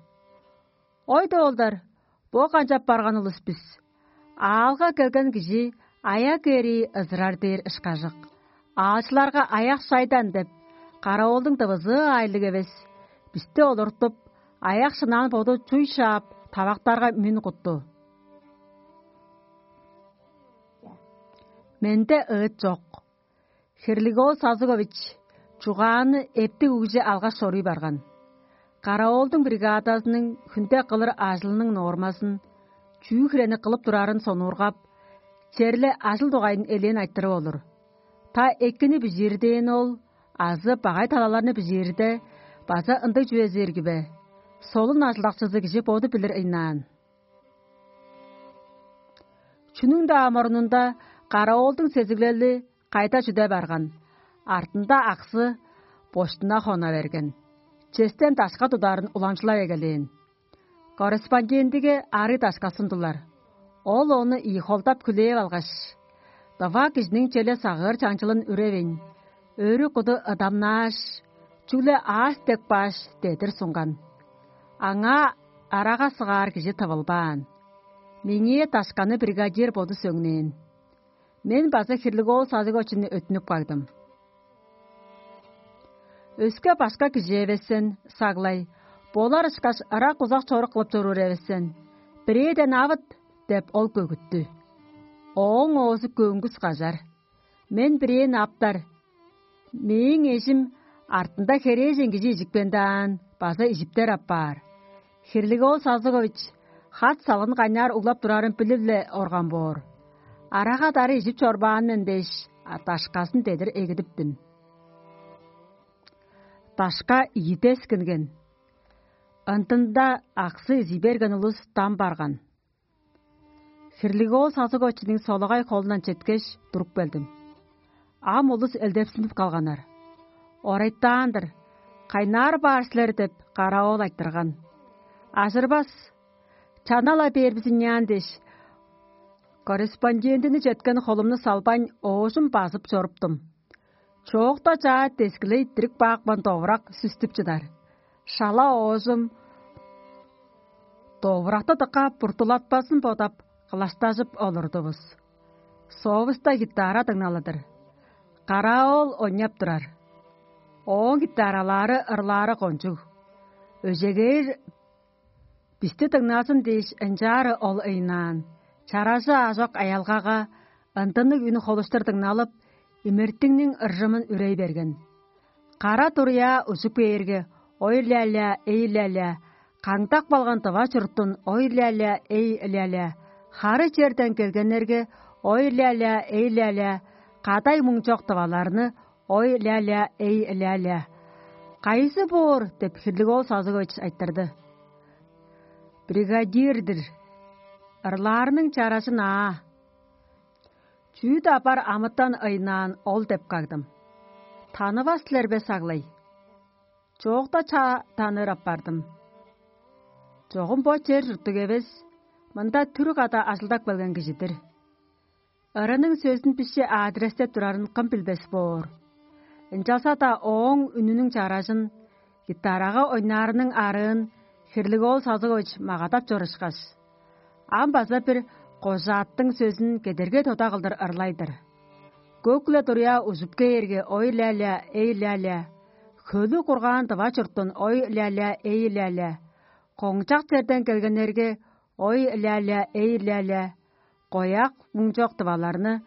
«Ой, доолдар, бо канчап барган улус бис? Аалга келген кижи аяк эрии ызырар дээр ышкажык. Аалчыларга аяк шайдан деп, каравылдың дывызыы аайлыг эвес. Бисти олуртуп, аяк шынаан боду чуй шаап, тавактарга мүн кутту. Менде ыыт чок. Хирлигоол Сазыгович чугааны эптиг үгүже алгаш чоруй барган. Караволдуң бригадазының хүнде кылыр ажылының нормазын, чүү хирени кылып турарын сонуургап, черле ажыл дугайын элээн айтырып олур. Та экини бижиир дээн ол азы багай талаларны бижиирде база ындыг чүвези ирги бе? Солун ажылдакчызы кижи боду билир ыйнаан. Чүнүң-даа мурнунда караволдуң сезиглели кайда чүде барган, артында аксы боштуна хона берген. Честен дашка тударын уламчылап эгелээн. Корреспондентиге арый дашка сундулар. Ол ону ийи холдап хүлээп алгаш: «Дыва кижиниң черле сагыыр чаңчылын үревейн, өрү куду ыдамнааш, чүгле аас деп кааш» – дедир сунган. Аңаа арага сыгаар кижи тывылбаан. Меңээ дашканы бригадир боду сөңнээн. Мен база Хирлиговул Сазыговичини өттүнүп кагдым. «Өске башка кижи эвес сен, саглай, болар ышкаш ырак-узак чорук кылып чоруур эвес сен. Бирээден авыт» – деп, ол көгүттү. Ооң оозу көңгүс кажар. Мен бирээни аптар. Мээң эжим артында херээжен кижи ижипкен-даан, база ижиптер апаар. Хирлиговул Сазыгович хат салгын кайнаар углап турарын билип-ле орган боор. Арага-дары ижип чорбаан мен дээш, дашказын дедир эгидиптим. Дашка ийи дескинген. Ындында аксы изий берген улус дам барган. Хирлиговул Сазыговичиниң солагай холундан четкеш, туруп келдим. Ам улус элдепсинип калганнар. «Орайтаан-дыр, кайнаар баар силер» – деп, каравыл айтырган. «Ажырбас, чана-ла бээр бис ыняан» – дээш, корреспондентини четкен холумну салбайн, оожум базып чоруптум. Чоокта чаа дескилей дирип каапкан довурак сүстүп чыдар. Шала оожум довуракты дыка буртулатпазын бодап, кылаштажып олурдувус. Соовуста гитара дыңналы-дыр. Караол ойнап турар. Ооң гитаралаары ырлаары кончуг. Өжегээр бисти дыңназын дээш, ынчаары ол ыйнаан. Чаражы аажок аялгага ындынныг үн холуштур дыңналып, имертиңниң ыржымын үрей берген. Кара дуруяа ужуп кээрге, ой-ля-ля, эй-ля-ля, каңдак балган дыва чуруттун ой-ля-ля, эй-ля-ля, хары черден келгеннерге, ой-ля-ля, эй-ля-ля, кадай муң чок дываларны ой-ля-ля, эй-ля-ля. «Кайызы боор?» – деп хирлиг оол Созугович айтырды. «Бригадир-дир. Ырлаарының чаражын аа». Чүү-даа бар амытан ыйнаан ол деп кагдым. «Танывас силер бе, саглай?» Чоокта чаа таныыр апардым. Чогум бо чер чурттуг эвес, мында түр када ажылдап келген кижи-дир. Ырының сөзүн бисче адрестеп турарын кым билбес боор. Ынчалза-даа ооң үнүнүң чаражын, гитарага ойнаарының арыын хирлиг оол Созугович магадап чорушкаш, ам база бир кожааттың сөзүн кедерге тода кылдыр ырлай-дыр. Көк-ле дуруяа ужуп кээрге, ой-ля-ля, эй-ля-ля, хөлү кургаан дыва чурттун ой-ля-ля, эй-ля-ля, коңчак черден келгеннерге, ой-ля-ля, эй-ля-ля, кояк муң чок дываларны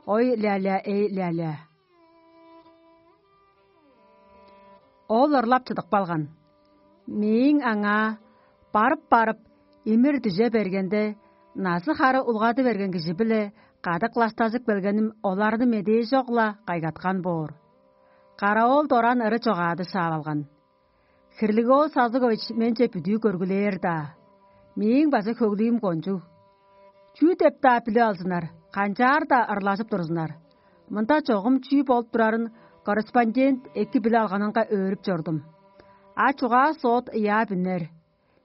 ой-ля-ля, эй-ля-ля. Ол ырлап чыдып калган. Мээң аңаа барып-барып, имир-дүже бергенде, назы-хары улгады берген кижи-биле кады кылаштажып келгеним оларны медээ чок-ла кайгаткан боор. Каравыл дораан ыры чогаады шаап алган. Хирлиг оол Созугович менче бүдүү көргүлээр-даа. Мээң база хөглүүм кончуг. Чүү деп-даа билип алзыннар, канчаар-даа ырлажып турзуннар. Мында чогум чүү болуп турарын корреспондент эки билип алганынга өөрүп чордум. А чугаа соот ыяап үнер.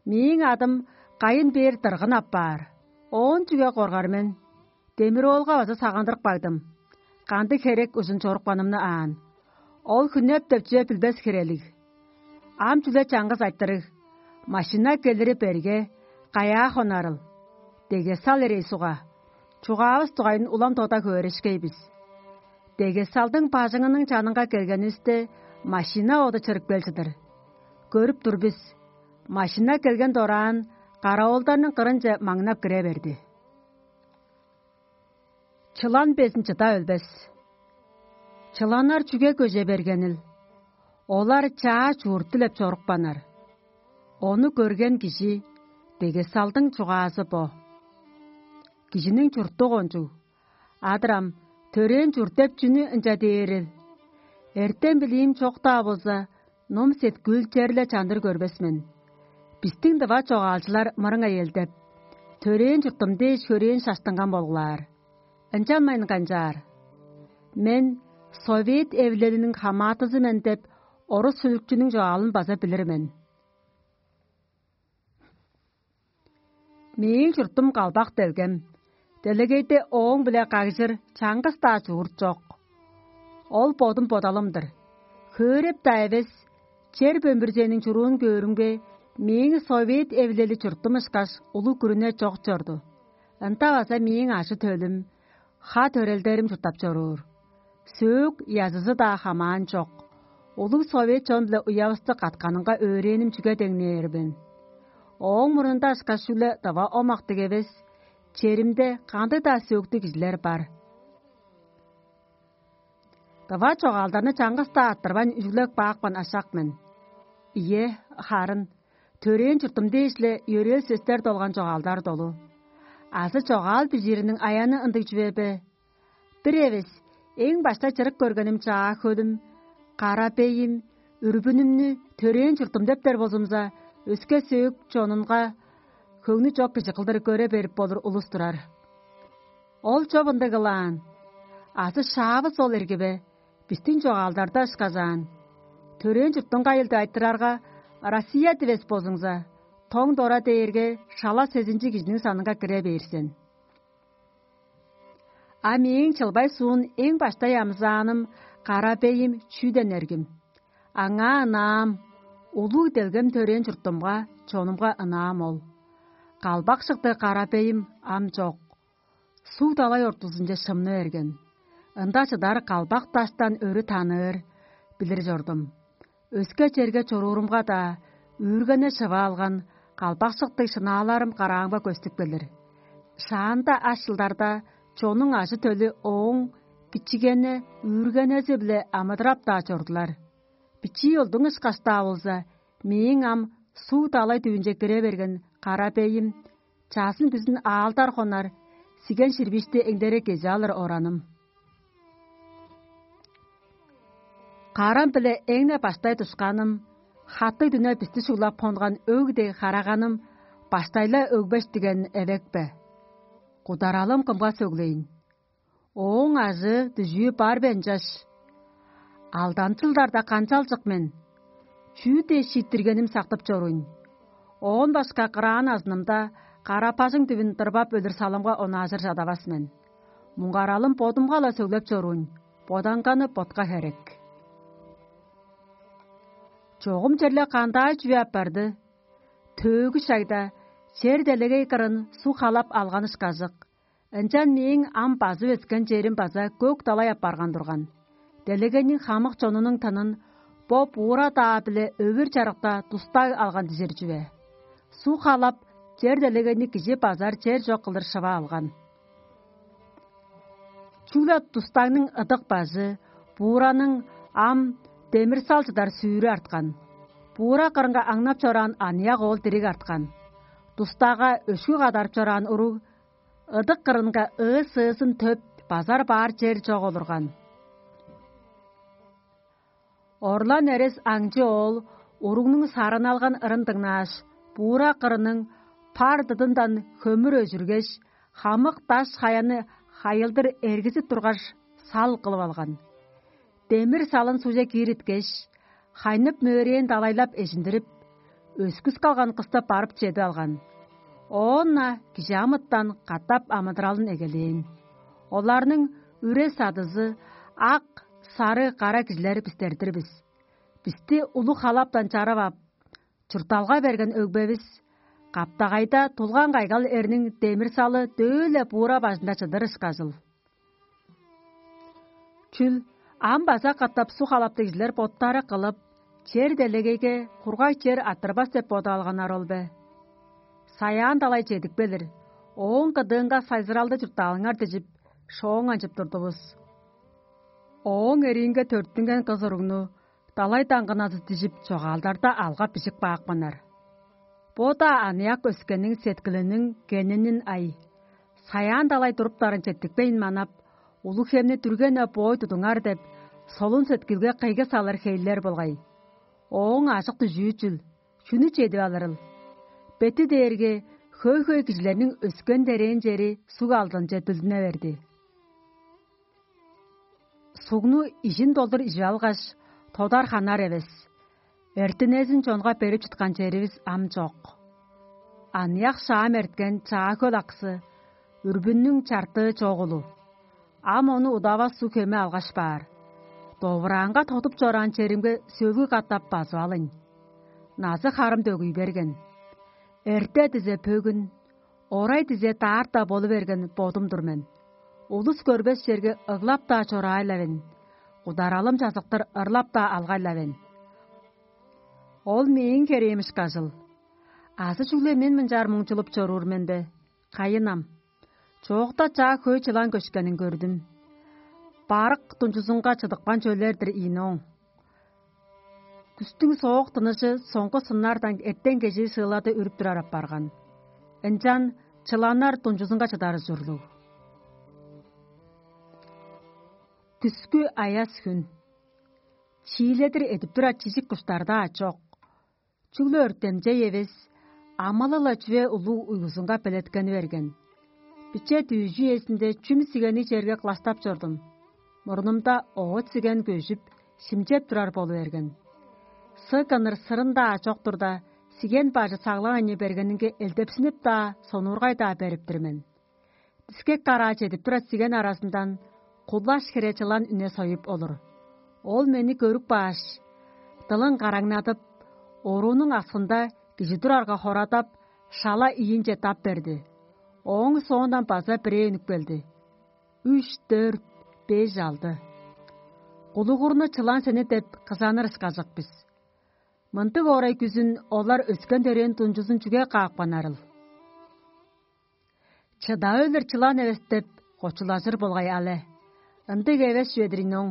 Мээң адым кайын бээр дыргын апаар. Оон чүге коргар мен? Демир-оолга база сагындырып кагдым. Кандыг херек ужун чорупканымны аан. Ол хүннеп деп чүве билбес хирелиг. Ам чүле чаңгыс айтырыг: машина келири берге, каяа хонарыл? Дегесал эрей суга. Чугаавыс дугайын улам тода хөөрешкей бис. Дегесалдың бажыңының чанынга келгенивисте, машина оду чырып кел чыдыр. Көрүп тур бис. Машина келген дораан, каравылдарның кырынче маңнап кире берди. Чылан безин чыда өлбес. Чыланнар чүге көже бергенил? Олар чаа чуурт дилеп чорупканнар. Ону көрген кижи, дегесалдың чугаазы бо: «Кижиниң чурту кончуг. Адырам, төрээн чурт деп чүнү ынча дээрил? Эртем-билиим чок-даа болза, ном-сеткүүл черле чандыр көрбес мен. Бистиң дыва чогаалчылар мырыңай элдеп, төрээн чуртум дээш хөрээн шаштынган болуңар. Ынчанмайн канчаар? Мен совет эвилелиниң хамаатызы мен деп орус сүлүкчүнүң чогаалын база билир мен. Мээң чуртум калбак делгем. Делегейде ооң-биле кагжыр чаңгыс-даа чуурт чок. Ол бодум бодалым-дыр. Хөөреп-даа эвес, чер бөмбүрзениң чуруун көөрүмге, мээң совет эвилели чуртум ышкаш улуг күрүне чок чорду. Ында база мээң ажы-төлүм, ха-төрелдерим чурттап чоруур. Сөөк язызы-даа хамаан чок. Улуг совет чон-биле уявысты катканынга өөрээним чүге деңнээр мен? Ооң мурнунда ышкаш чүгле дыва омактыг эвес, черимде кандыг-даа сөөктүг кижилер бар. Дыва чогаалдарны чаңгыс-даа аттырбайн үжүглеп каапкан ашак мен. Ийе, харын, төрээн чуртум дээш-ле йөрээл сөстер долган чогаалдар долу. Азы чогаал бижиириниң аяны ындыг чүве бе? Бир эвес, эң баштай чырык көргеним чаа хөлүм, кара бейим, үрбүнүмнү төрээн чуртум дептер болзумза, өске сөөк чонунга хөңнү чок кижи кылдыр көре берип болур улус турар. Ол чоп ындыг кылаан. Азы шаавыс ол эрги бе? Бистиң чогаалдарда ышказаан. Төрээн чуртуңга айылды айтырарга, Россия дивес болзуңза, тоң дора дээрге шала сезинчи кижиниң санынга кире бээр сен. А мээң чылбай суун эң баштай амызааным кара бейим чүүден эргим. Аңаа ынаам, улуг делгем төрээн чуртумга, чонумга ынаам ол. Калбак шыкты кара бейим ам чок. Суг далай ортузунче шымны берген. Ында чыдар калбак даштан өрү таныыр, билир чордум. Өске черге чоруурумга-даа, үүргене шыва алган калбак шыктыг шынааларым караамга көстүп келир. Шаанда аш чылдарда чоннуң ажы-төлү ооң кичигене үүргенези-биле амыдырап-даа чордулар. Бичии олдуң ышкаш-даа болза, мээң ам суг далай дүвүнче кире берген кара бейим, чазын-күзүн аалдар хонар, сиген ширбишти эңдере кежи алыр ораным. Карам-биле эң-не баштай душканым, хаттыг дүне бисти шуглап хонган өг дег хараганым баштайла өгбеш диген эвек бе? Кударалым кымга сөглейн? Ооң ажыы дүжүү бар бе ынчаш? Алданчылдарда канчалчык мен? Чүү дээш шииттиргеним сактып чоруйн? Оон башка кыраан азынымда кара-бажың дүвүн дырбап өлүр салымга онаажыр чадавас мен. Муңгаралым бодумга-ла сөглеп чоруйн, боданганы ботка херек. Чогум черле кандаа чүве апарды? Төөгү шагда чер делегей кырын суг халап алган ышкажык. Ынчан мээң ам базып өскен черим база көк далай апарган турган. Делегейниң хамык чонунуң тынын бо буура-даа-биле өвүр-чарыкта дустаг алган дижир чүве. Суг халап, чер делегейни кижи базар чер чок кылдыр шыва алган. Чүгле дустагның ыдык бажы, буураның ам демир-сал чыдар сүүрү арткан. Буура кырынга аңнап чораан аныяк оол дириг арткан. Дустага өшкү кадарып чораан уруг ыдык кырынга ыы-сыызын төп, базар баар чер чок олурган. Орлан эрес аңчы оол уругнуң сарыналган ырын дыңнааш, буура кырының пар дыдындан хөмүр өжүргеш, хамык даш-хаяны хайылдыр эргизип тургаш, сал кылып алган. Демир салын сугже киириткеш, хайнып мөөрээн далайлап эжиндирип, өскүс калган кысты барып чедип алган. Оон-на кижи амытан катап амыдыралын эгелээн. Оларның үре-садызы ак, сары, кара кижилер бистер-дир бис. Бисти улуг халаптан чарып ап, чуртталга берген өгбевис каптагайда тулган кайгал эрниң демир-салы дөө-ле буура бажында чыдыр ышкажыл. Чүл, ам база катап суг халаптыг кижилер боттары кылып, чер делегейге кургаг чер арттырбас деп бодап алганнар ол бе? Саяан далай чедип келир, ооң кыдыынга сайзыралды чурттаалыңар дижип, шооңанчып турдувус. Ооң эриинге төрүттүнген кыс уругну далай даңгыназы дижип, чогаалдарда алгап-бижип каапканнар. Бо-даа аныяк өскенниң сеткилиниң генинин ай, саяан далай туруптарын четтикпейн манап, улуг хемни дүрген-не боой тудуңар деп, солун сеткилге кыйгы салыр хейлер болгай. Ооң ажык дүжүү чүл, чүнү чедип алырыл? Бети дээрге хөй-хөй кижилерниң өскен-дерээн чери суг алдынче дүлдүне берди. Сугну ижин долдур ижип алгаш, тодар ханар эвес. Эртинезин чонга берип чыткан черивис ам чок. Аныяк шаам эрткен чаа хөл аксы, үрбүннүң чартыы чок улу. Ам ону удавас суг хеме алгаш баар. Довураанга тотуп чораан черимге сөлгү катап базып алыйн. Назы-харым дөгүй берген. Эрте дизе бөгүн, орай дизе даарта болу берген бодум-дур мен. Улус көрбес черге ыглап-даа чораай-ла мен, кударалым чазыктыр ырлап-даа алгай-ла мен. Ол мээң херээмиш кажыл. Азы чүгле мен мынчаар муңчулуп чоруур мен бе? Кайын ам? Чоокта чаа хөй чылан көшкенин көрдүм. Барык дунчузунга чыдыпкан чөлер-дир ийин ооң. Күстүң соок тыныжы соңгу сыннардан эртен кежээ сыылады үрүп турар апарган. Ынчан чыланнар дунчузунга чыдары чурлуг. Күскү аяс хүн. Чииледир эдип турар чижик куштар-даа чок. Чүгле өртемчей эвес, амалы-ла чүве улуг уйгузунга белеткени берген. Биче дүүжү үезинде чүм сигенниг черге кылаштап чордум. Мурнумда оът сиген көжүп, шимчеп турар болу берген. Сыг кыныр сырын-даа чок турда, сиген бажы саглаан ынчы бергенинге элдепсинип-даа, сонуургай-даа берип-тир мен. Дискек караа чедип турар сиген аразындан кулаш хире чылан үне союп олур. Ол мени көрүп кааш, дылын караңнадып, оруунуң аксында кижи турарга хорадап, шала ийинче дап берди. Ооң соондан база бирээ үнүп келди. Үш, дөрт, беш, алды. Кулугурну чылан сени деп кызаныр ышкажык бис. Мындыг орай күзүн олар өскен-төрээн дунчузун чүге каапканнарыл? Чыда өлүр чылан эвес деп кочулажыр болгай але. Ындыг эвес чүве-дир ийин оң.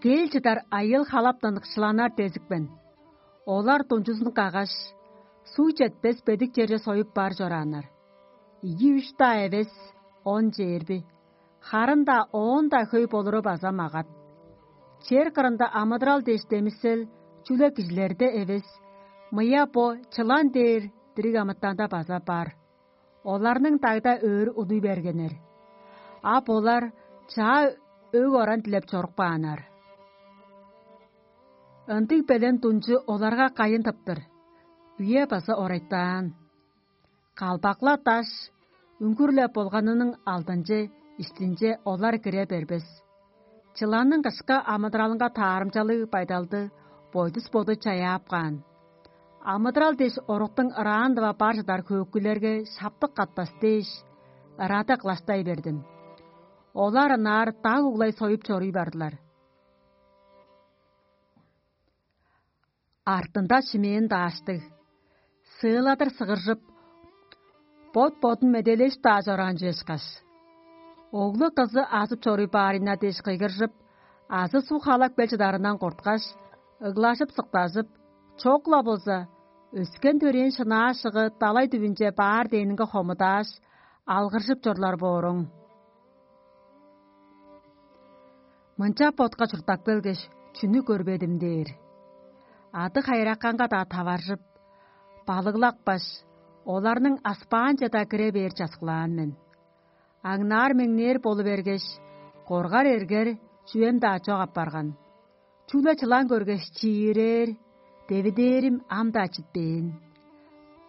Кел чыдар айыыл-халаптан кышыланар дезипкен. Олар дунчузун каггаш, суг четпес бедик черже союп бар чорааннар. Ийи-үш-даа эвес, он чээрби, харын-даа оон-даа хөй болуру база магат. Чер кырында амыдырал дээш демисел, чүгле кижилерде эвес, мыя бо чылан дээр дириг амытанда база бар. Оларның дагда өрү удуй бергеннер. А болар чаа өг-оран дилеп чоруп кааннар. Ындыг белен дунчу оларга кайын тыптыр, үе база орайтаан. Калбак-ла даш үңгүр-ле болганының алдынче, иштинче олар кире бербес. Чыланның кышка амыдыралынга таарымчалыг байдалды бойдус боду чаяап каан. Амыдырал дээш оруктуң ыраан-дыва бар чыдар хөөкүлерге шаптык катпас дээш, ырады кылаштай бердим. Олар ынаар даг углай союп чоруй бардылар. Артында шимээн дааштыг, сыыладыр сыгыржып, бот-бодун медээлээш-даа чораан чүве ышкаш. Оглу-кызы азып чоруй баарына дээш кыйгыржып, азы суг халап кел чыдарындан корткаш, ыглажып-сыктажып, чок-ла болза, өскен-төрээн шынаа-шыгы далай дүвүнче баар дээнинге хомудааш, алгыржып чорлар бооруң. Мынча ботка чурттап келгеш, чүнү көрбедим дээр. Ады хайыраканга-даа таваржып, балыглапкаш, оларның аспаанче-даа кире бээр часкылаан мен. Аңнаар-меңнээр болу бергеш, коргар эргер чүвем-даа чок апарган. Чүгле чылан көргеш, чиирээр, девидээрим ам-даа читпээн.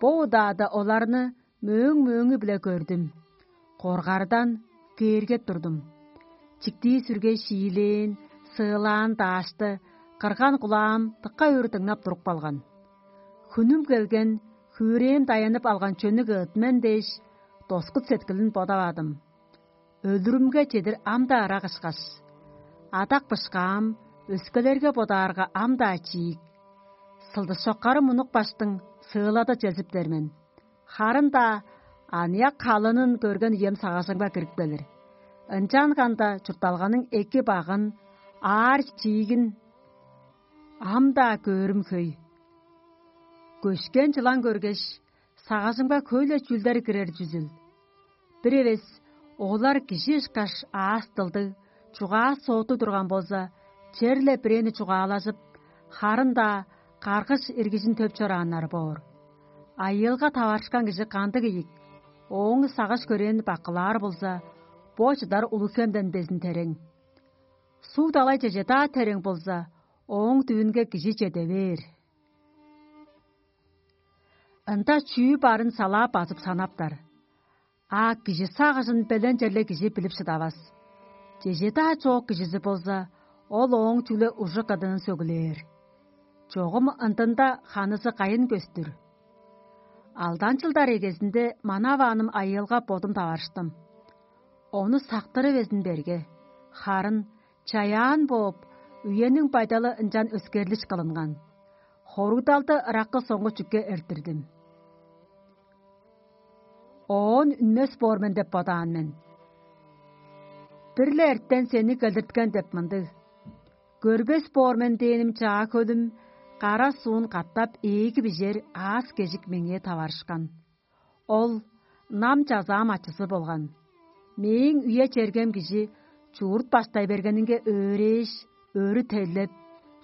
Бо удаада оларны мөөң-мөөңү-биле көрдүм. Коргардан кээргеп турдум. Чиктии-сүргей шиилээн, сыылаан даашты кырган кулаам дыка өр дыңнап туруп калган. Хүнүм келген, хүрээм даянып алган чөнүк ыыт мен дээш, доскут сеткилин бодавадым. Өлүрүмге чедир ам-даа ырак ышкаш, адак-бышкаам өскелерге бодаарга ам-даа чиик. Сылдыс чоккары мунук баштың сыылада чезиптер мен. Харын-даа аныяк халынын көрген үем сагыжымга кирип келир. Ынчанганда чуртталганың эки багын, аар чиигин ам-даа көөрүм хөй. Көшкен чылан көргеш, сагыжымга хөй-ле чүүлдер кирер чүзүл. Бир эвес олар кижи ышкаш аас-дылдыг, чугаа-сооту турган болза, черле бирээни чугаалажып, харын-даа каргыш иргижин төп чорааннары боор. Айыылга таварышкан кижи кандыг ийик, ооң сагыш-көрээн баккылаар болза, бо чыдар улуг хемден безин терең. Суг далай чеже-даа терең болза, ооң дүвүнге кижи чеде бээр. Ында чүү барын салаа базып санаптар. А кижи сагыжын белен черле кижи билип шыдавас. Чеже-даа чоок кижизи болза, ол ооң чүгле ужу-кыдыын сөглээр. Чогум ындында ханызы кайын көстүр. Алдан чылдар эгезинде манавааным айыылга бодум таварыштым. Ону сактыры безин берге, харын чаяан бооп, үениң байдалы ынчан өскерлиш кылынган. Хоругдалды ыраккы соңгу чүкке эрттирдим. Оон үнмес боор мен деп бодаан мен. Бир-ле эртен сени келдирткен деп мындыг: «Көрбес боор мен» дээним чаа хөлүм кара суун катап ээги бижер аас-кежик меңээ таварышкан. Ол нам чазаам ачызы болган. Мээң үе-чергем кижи чуурт баштай бергенинге өөрээш, өрү тейлеп,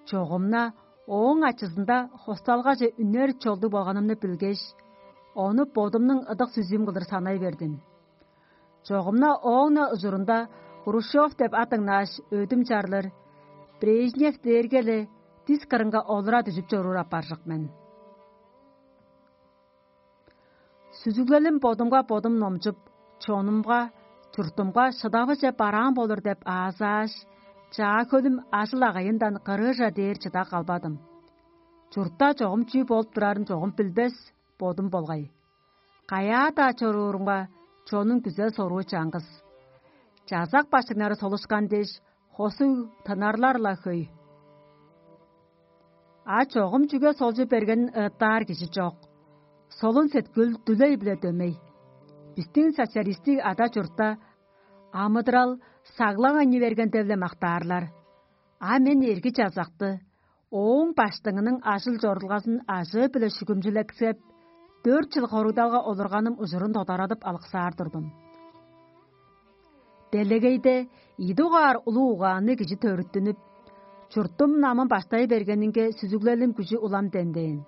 чогумна ооң ачызында хосталгаже үнер чолдуг болганымны билгеш, ону бодумнуң ыдык сүзүүм кылдыр санай бердим. Чогумна ооң-на ужурунда Хрущев деп ат дыңнааш, өдүм чарлыр, Брежнев дээрге-ле дис кырынга олура дүжүп чоруур апаржык мен. Сүзүглелим бодумга бодум номчуп, чонумга, чуртумга шыдавыже бараан болур деп аазааш, чаа хөлүм ажыл-агайындан кырыыжа дээр чыда калбадым. Чуртта чогум чүү болуп турарын чогум билбес бодум болгай. Каяа-даа чоруурумга, чонуң күзел-соруу чаңгыс. Чазак баштыңнары солушкан дээш, хосуг тынарлар-ла хөй. А чогум чүге солчу бергенин ыыттаар кижи чок. Солун сеткил дүлей-биле дөмей. Бистиң социалистиг ада-чуртта амыдырал саглаң ынчы берген деп-ле мактаарлар. А мен эрги чазакты, ооң баштыңының ажыл-чорулгазын ажыы-биле шүгүмчүлексеп, дөрт чыл хоругдалга олурганым ужурун тодарадып алыксаар турдум. Делегейде ийи дугаар улуг угаанныг кижи төрүттүнүп, чурттум намын баштай бергенинге сүзүглелим күжү улам демдээн.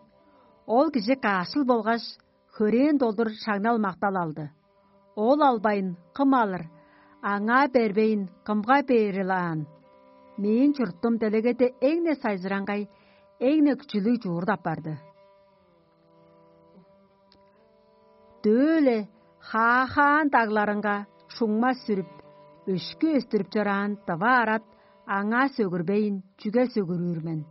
Ол кижи каашыл болгаш, хөрээн долдур шаңнал-мактал алды. Ол албайн, кым алыр, аңаа бербейн, кымга бээрил аан? Мээң чурттум делегеде эң-не сайзыраңгай, эң-не күчүлүг чуурда апарды. Дөө-ле хаахаан дагларынга шуңма сүрүп, өшкү өстүрүп чораан дыва арат аңаа сөгүрбейн, чүге сөгүрүүр мен?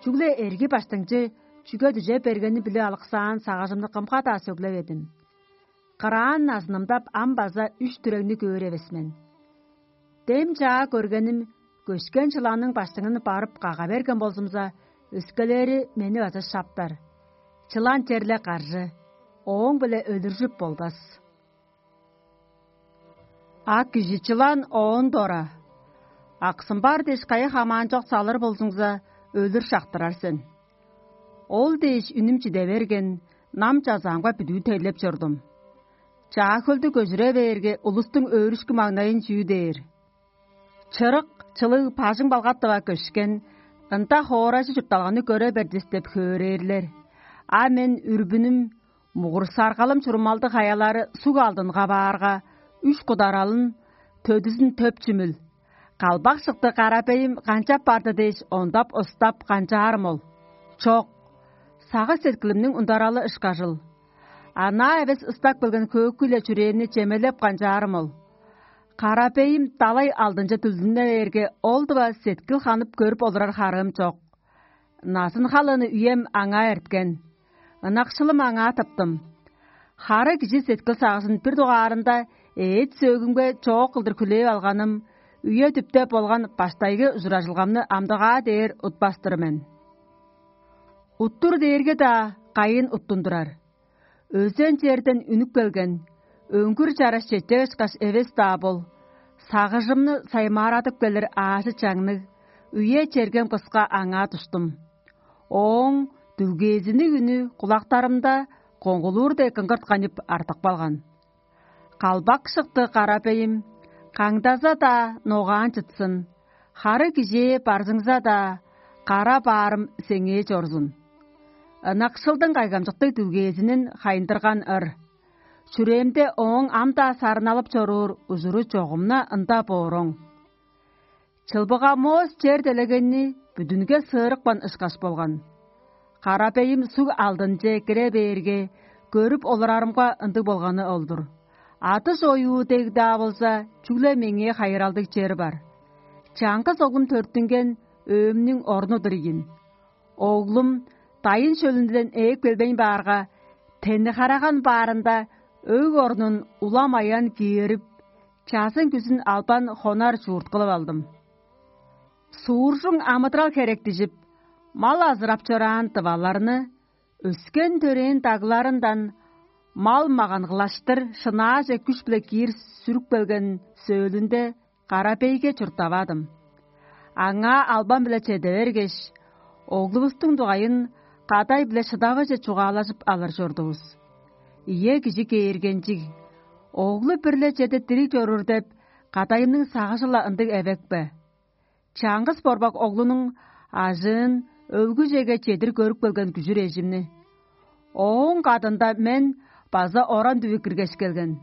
Чүгле эрги баштыңчы чүге дүже бергени билип алыксаан сагыжымны кымга-даа сөглеведим. Кыраан назынымдап ам база үш дүрегни көөр эвес мен. Дем чаа көргеним, көшкен чыланның баштыңын барып кага берген болзумза, өскелери мени база шаптар. Чылан черле каржы, ооң-биле өлүржүп болбас. А кижи чылан оон дора: «Аксым бар дээш, кайы хамаанчок салыр болзуңза, өлүр шактырар сен». Ол дээш үнүм чиде берген, нам чазаамга бүдүү тейлеп чордум. Чаа-хөлдү көжүре бээрге, улустуң өөрүшкү маңнайын чүү дээр? Чырык, чылыг бажың-балгат дыва көшкен, ында хооражы чуртталганы көре бердис деп хөөрээрлер. А мен үрбүнүм, мугур-саргалым чурумалдыг хаялары суг алдынга баарга, үш кударалын, төдүзүн төп чүмүл. Калбак шыкты карабейим канчап барды дээш, ондап-ыстап канчаарым ол? Чок. Сагыш-сеткилимниң ундаралы ышкажыл. Анаа эвес ыстак билген хөөкү-ле чүрээмни чемелеп канчаарым ол? Карабейим далай алдынче дүлдүнне бээрге, ол дыва сеткил ханып көрүп олурар харыым чок. Назын-халыны үем аңаа эрткен. Ынакшылым аңаа тыптым. Хары кижи сеткил-сагыжын бир дугаарында эът-сөөгүмге чоок кылдыр хүлээп алганым, үе-дүпте болган баштайгы ужуражылгамны амдыгаа дээр утпас-тыр мен. Уттур дээрге-даа кайын уттундурар. Өзен черден үнүп келген, өңгүр чараш четчевешкаш эвес-даа бол, сагыжымны саймаарадып келир аажы-чаңныг, үе-чергем кыска аңаа туштум. Ооң дүлгээзиниң үнү кулактарымда коңгулуур дег кыңгырт канып артып калган. Калбак шыкты карабейим, каңдаза-даа ногаан чытсын, хары кижээ барзыңза-даа, кара баарым сеңээ чорзун. Ынакшылдың кайгамчыктыг дүлгээзинин хайындырган ыр. Чүрээмде ооң ам-даа сарыналып чоруур ужуру чогум-на ында бооруң. Чылбыга моос чер делегейни бүдүнге сыырыпкан ышкаш болган. Карабейим суг алдынче кире бээрге, көрүп олурарымга ындыг болганы ол-дур. Адыш оюу дег-даа болза, чүгле меңээ хайыралдыг чер бар. Чаңгыс оглум төрүттүнген өөмнүң орну-дур ийин. Оглум дайын шөлүнден ээп келбейн баарга, тени-хараган баарында өг орнун улам аян киирип, чазын-күзүн албан хонар чуут кылып алдым. Сууржуң амыдырал херектижип, мал азырап чораан дываларны, өскен-төрээн дагларындан мал-маган кылаштыр шынааже күш-биле киир сүрүп келген сөөлүнде Карабейге чурттавадым. Аңаа албан-биле чеде бергеш, оглувустуң дугайын кадай-биле шыдавыже чугаалажып алыр чордувус. Ийе, кижи кээргенчиг, оглу бир-ле чеде дириг чоруур деп, кадайымның сагыжы-ла ындыг эвек бе? Чаңгыс борбак оглунуң ажыын өлгүжеге чедир көрүп келген күжүр эжимни. Ооң кадында мен база оран дүвү киргеш келген.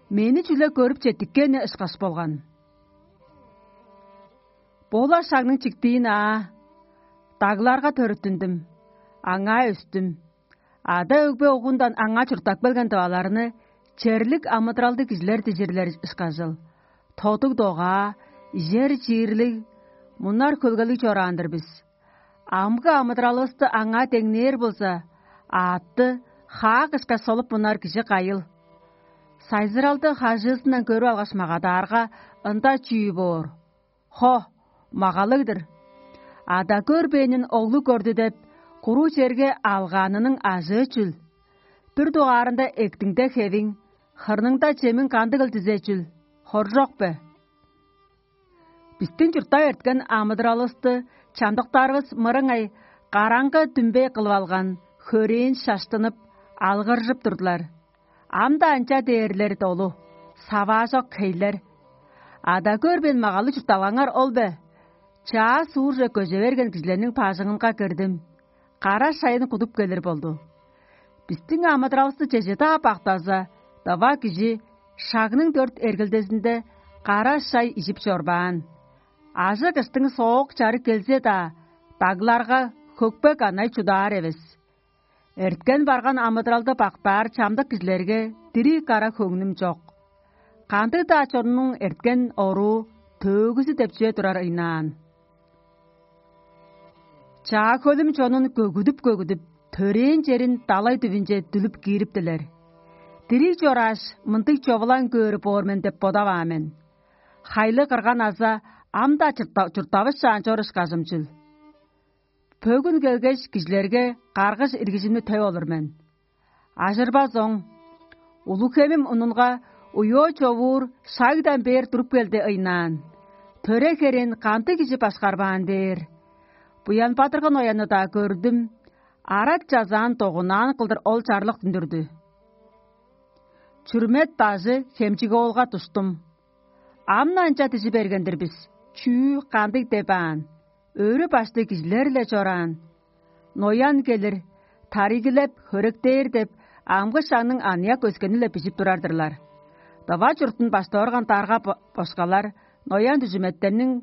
Мени чүгле көрүп четтиккени ышкаш болган. Бо-ла шагның чиктиин аа, дагларга төрүттүндүм, аңаа өстүм. Ада-өгбе угундан аңаа чурттап келген дываларны черлик амыдыралдыг кижилер дижирлер ышкажыл. Тодуг-догаа, ижер-чиирлиг, мунар-хөлгелиг чораан-дыр бис. Амгы амыдыралывысты аңаа деңнээр болза, аътты хаак ышкаш солуп мунар кижи кайыл? Сайзыралды хажыызындан көрүп алгаш магадаарга, ында чүү боор? Хо, магалыг-дыр. Ада көрбээнин оглу көрдү деп, куруу черге алгаанының ажыы чүл? Бир дугаарында эктиңде хевиң, хырныңда чемиң кандыгыл дизе чүл? Хоржок бе? Бистиң чурттап эрткен амыдыралывысты чамдыктарывыс мырыңай караңгы дүмбей кылып алган, хөрээн шаштынып, алгыржып турдулар. Ам-даа ынча дээрлер долу, саваажок хейлер. Ада көрбээн магалы чуртталгаңар ол бе? Чаа суурже көже берген кижилерниң бажыңынга кирдим. Кара шайын кудуп келир болду. Бистиң амыдыралывысты чеже-даа бактаза, дыва кижи шагның дөрт эргилдезинде кара шай ижип чорбаан. Ажы-кыштың соок чары келзе-даа, дагларга хөкпе-канай чудаар эвес. Эрткен-барган амыдыралды бактаар чамдык кижилерге дириг кара хөңнүм чок. Кандыг-даа чоннуң эрткен оруу төөгүзү деп чүве турар ыйнаан. Чаа-хөлүм чонун көгүдүп-көгүдүп, төрээн черин далай дүвүнче дүлүп киириптилер. Дириг чорааш, мындыг човулаан көөр боор мен деп бодаваан мен. Хайлы кырган аза ам-даа чурттавышаан чор ышкажым чүл. Бөгүн келгеш, кижилерге каргыш иргижимни төп олур мен. Ажырбас оң. Улуг-Хемим унунга уйоо човуур шагдан бээр туруп келди ыйнаан. Төре херээни кандыг кижи башкарбаан дээр. Буян-Бадыргы Ноянны-даа көрдүм, арат-чазаан догунаан кылдыр ол чарлык үндүрдү. Чүрмет бажы Хемчик-оолга душтум. Ам-на ынча дижи берген-дир бис, чүү, кандыг деп аан? Өрү-башты кижилер-ле чораан. Ноян келир, тарыйгылеп, хөректээр деп, амгы шагның аныяк өскени-ле бижип турар-дырлар. Дыва чуртун баштап орган дарга бо- бошкалар ноян дүжүметтерниң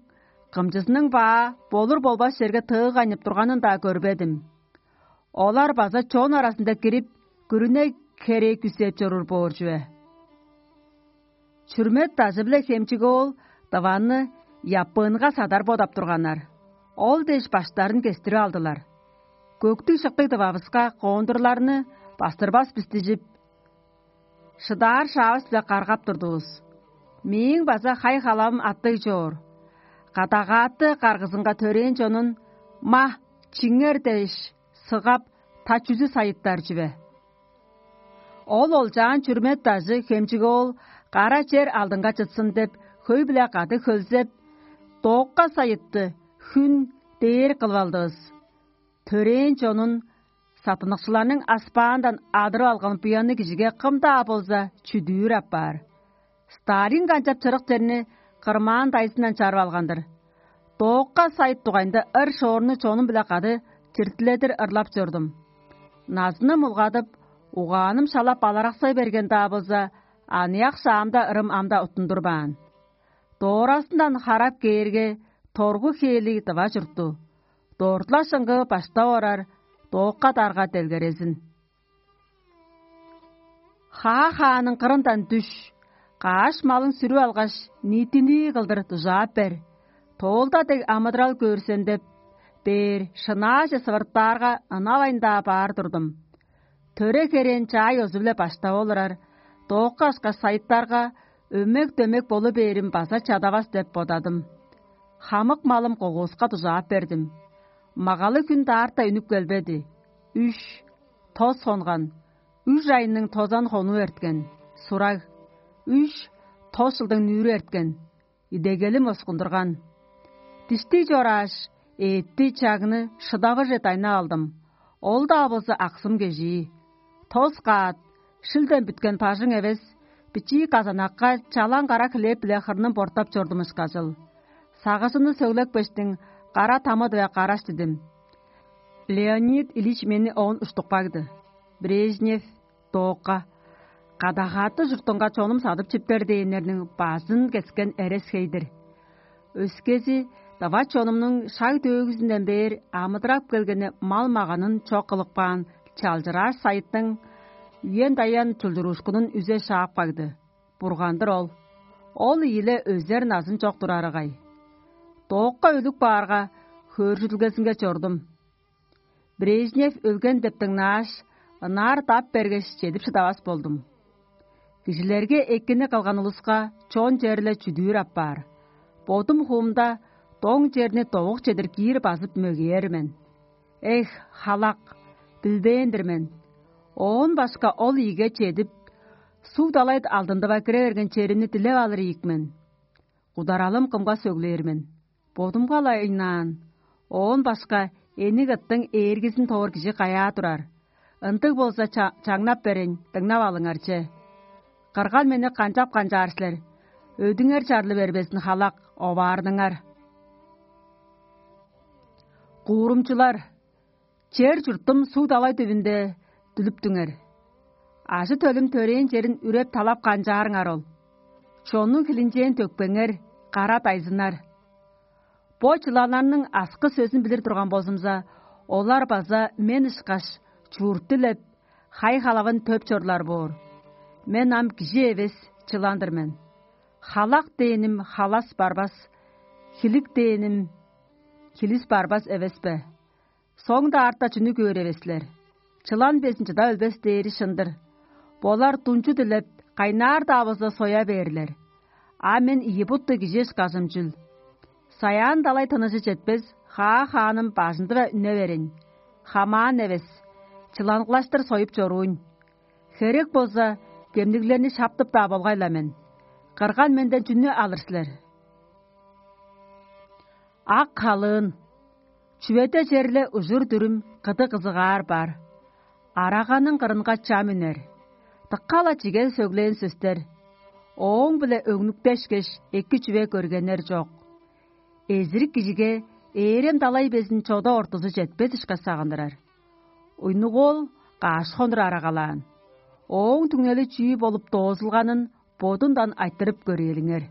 кымчызының баа болур-болбас черге тыыгайнып турганын-даа көрбедим. Олар база чон аразында кирип, күрүне херээ күзеп чоруур боор чүве. Чүрмет дажы-биле Хемчик-оол дываны Япыынга садар бодап турганнар. Ол дээш баштарын кестирип алдылар. Көктүг-шыктыг дывавыска коондурларны бастырбас бис дижип, шыдаар шаавыс-биле каргап турдувус. Мээң база хай-халавым аттыг чоор. Кадагааты каргызынга төрээн чонун: «Ма, чиңер!» — дээш, сыгап, та чүзү сайыттар чүве. Ол олчаан Чүрмет дажы Хемчик-оол кара чер алдынга чытсын деп, хөй-биле кады хөлзеп, доокка сайытты, хүн дээр кылып алдывыс. Төрээн чонун саттыныкчыларның аспаандан адырып алган буянныг кижиге кым-даа болза чүдүүр апаар. Сталин канчап чырык черни кырмаан дайзындан чарып алган-дыр. Доокка сайыт дугайында ыр-шоорну чонум-биле кады чиртиледир ырлап чордум. Назыным улгадып, угааным шала балараксай берген-даа болза, аныяк шаамда ырым ам-даа уттундурбаан. Доораазындан харап кээрге, торгу хээлиг дыва чуртту. Дорт-ла шыңгыы баштап орар доокка дарга делгерезин. Хаа-хааның кырындан дүш, каш малың сүрүп алгаш, ниитинии кылдыр дужаап бер. Тоолда дег амыдырал көөр сен деп бээр, шынааже сывыртаарга, ынавайн-даа баар турдум. Төре-херээн чаай ёзу-биле баштап олурар, доокка ышкаш сайыттарга өмек-дөмек болу бээрим база чадавас деп бодадым. Хамык малым когуска дужаап бердим. Магалы хүн даарта үнүп келбеди. Үш, тос хонган, үш айның тозан хонуу эрткен. Сураг, үш, тос чылдың нүүрү эрткен. Идегелим оскундурган. Диштиг чорааш, эътти, чагны шыдавыже дайнап алдым. Ол-даа болза аксым кежии. Тос каат, шилден бүткен бажың эвес, бичии казанакка чалаң кара хлеб-биле хырным бортап чордум ышкажыл. Сагыжымны сөглепкештиң, кара тамыдыве караш дидим. Леонид Ильич мени оон уштуп кагды. Брежнев, доокка. Кадагааты чуртунга чонум садып чиптер дээннерниң базын кескен эрес-хей-дир. Өскези, дава чонумнуң шаг-төөгүзүнден бээр амыдырап келгени мал-маганын чок кылып каан чалчырааш сайыттың үен-даян чулчуруушкунун үзе шаап кагды. Бурган-дыр ол. Ол ийиле өзер назын чок турарыгай. Доокка өлүп каарга, хөөржүдүлгезинге чордум. Брежнев өлген деп дыңнааш, ынаар дап бергеш, чедип шыдавас болдум. Кижилерге экини кылган улуска чон черле чүдүүр апаар. Бодум хуумда доң черни довук чедир киир базып мөгээр мен. Эх, халак, билбээн-дир мен. Оон башка ол ийиге чедип, суг далай алдындыва кире берген черимни дилеп алыр ийик мен. Ударалым кымга сөглээр мен? Бодумга-ла ыйнаан. Оон башка эниң ыттың ээргизин тоор кижи каяа турар? Ындыг болза, ча- чаңнап берейн, дыңнап алыңар че. Кырган мени канчап канчаар силер? Өдүңер чарлы бербезин халак, оваарныңар. Куурумчулар, чер-чуртум суг-далай түбүнде дүлүптүңер. Ажы-төлүм төрээн черин үреп-талап канчаарыңар ол. Чоннуң хилинчээн төкпеңер, кара дайзыннар. Бо чыланнарның аскы сөзүн билир турган болзумза, олар база мен ышкаш чуурт дилеп, хай-халавын төп чорлар боор. Мен ам кижи эвес, чылан-дыр мен. Халак дээним халас барбас, хилик дээним хилис барбас эвес бе? Соң-даа артта чүнү көөр эвес силер? Чылан безин чыда өлбес дээри шын-дыр. Болар дунчу дилеп, кайнаар-даа болза соя бээрлер. А мен ийи буттуг кижи ышкажым чүл? Саяан-далай тынныжы четпес, хаа-хааным бажынды-ла үне берейн. Хамаан эвес, чыланглаштыр союп чоруйн. Херек болза, кемниглерни шаптып-даа болгай-ла мен. Кырган менден чүнү алыр силер? Ак халыын. Чүведе черле ужур-дүрүм, кыды-кызыгаар бар. Араганың кырынга чам үнер. Дыка-ла чиге сөглээн сөстер. Ооң-биле өңнүктешкеш, эки чүве көргеннер чок. Эзирик кижиге ээрем-далай безин чода ортузу четпес ышкаш сагындырар. Уйнугуол каш хонур арагалаан. Ооң түңнели чүү болуп доозулганын бодундан айтырып көрээлиңер.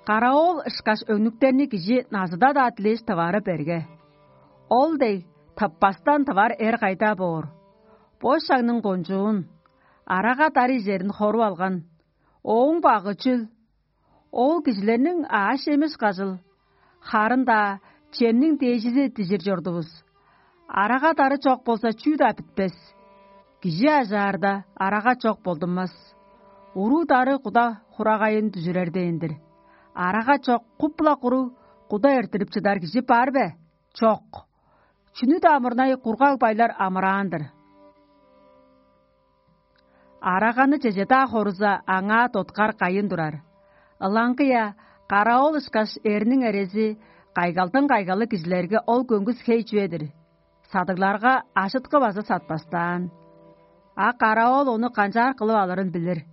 Караоол ышкаш өңнүктерни кижи назыда-даа дилээш тывары берге. Ол дег тыппастан тывар эр кайда боор? Бо шагның кончуун, арага дарый черин хоруп алган. Ооң багы чүл? Ол кижилерниң аъш-чеми ышкажыл. Харын-даа чемниң дээжизи дижир чордувус. Арага-дары чок болза, чүү-даа бүтпес. Кижи ажаарда, арага чок болдунмас. Уруу-дары куда хурагайын дүжүрер дээн-дир. Арага чок, куп-ла куруг куда эрттирип чыдар кижи бар бе? Чок. Чүнү-даа мурнай кургаг байлар амыраан-дыр. Араганы чеже-даа хоруза, аңаа доткар кайын турар. Ылаңгыя, караоол ышкаш эрниң эрези кайгалдың кайгалы кижилерге ол көңгүс хей чүве-дир. Садыгларга ажыткы база сатпастаан. А караоол ону канчаар кылып алырын билир.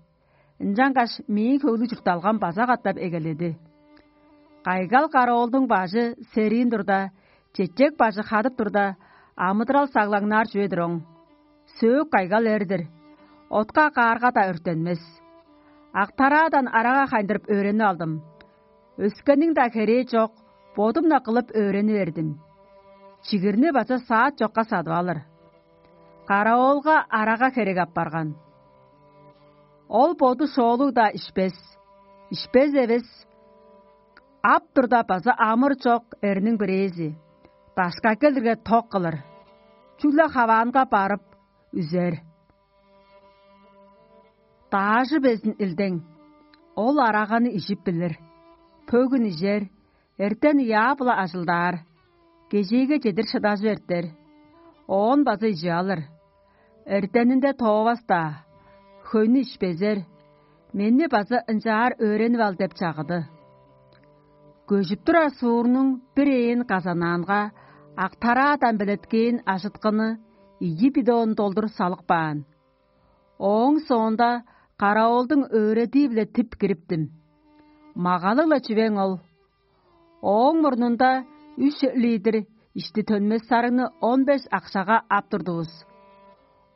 Ынчангаш мээң хөглүг чуртталгам база катап эгеледи. Кайгал караоолдуң бажы сериин турда, чечек бажы хадып турда, амыдырал саглаңнаар чүве-дир оң. Сөөк кайгал эр-дир, отка каарга-даа өртенмес. Актараадан арага хайындырып өөренип алдым. Өскениң-даа херээ чок, бодум-на кылып өөрени бердим. Чигирни база саат чокка садып алыр. Караоолга арага херек апарган. Ол боду шоолуг-даа ишпес, ишпес эвес, ап турда база амыр чок эрниң бирээзи, дашка келирге ток кылыр, чүгле хаваанга барып үзер. Даажы безин илдең, ол араганы ижип билир, пөгүн ижер, эртен ыяа-биле ажылдаар, кежээге чедир шыдажып эртер, оон база ижип алыр. Эртенинде тоовас-даа, хөйнү ишпезер, мени база ынчаар өөренип ал деп чагыды. Көжүп турар суурнуң бир ээн казанаанга ак тараадан белеткээн ажыткыны ийи бидон долдур салып каан. Ооң соонда караоолдуң өөредии-биле тип кириптим. Магалыг-ла чүвең ол. Ооң мурнунда үш литр ишти төнмес сарыгны он беш акшага ап турдувус.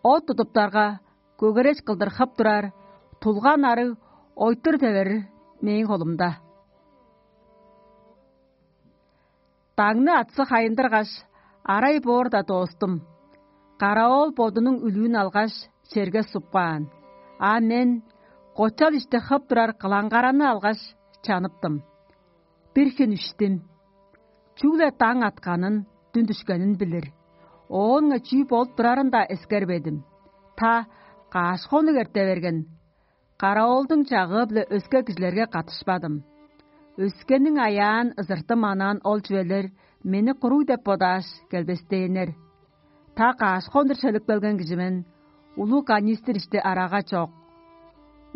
От тудуптарга, көгереш кылдыр хып турар тулган арыг ойтур теверир мээң холумда. Даңны атсы хайындыргаш, арай боорда доостум. Караоол бодунуң үлүүн алгаш, черге суп каан. А мен, кочал ишти хып турар кылаңгараны алгаш, чаныптым. Бир хүн үштүм. Чүгле даң атканын, дүн дүшкенин билир. Оонга чүү болуп турарын-даа эскербедим. Та каш хонук эрте берген, караоолдуң чагыы-биле өске кижилерге катышпадым. Өскениң аяан ызыртым анаан ол чүвелер мени куруг деп бодааш, келбестээннер. Та каш хонур шөлүп келген кижи мен, улуг канистр ишти арага чок.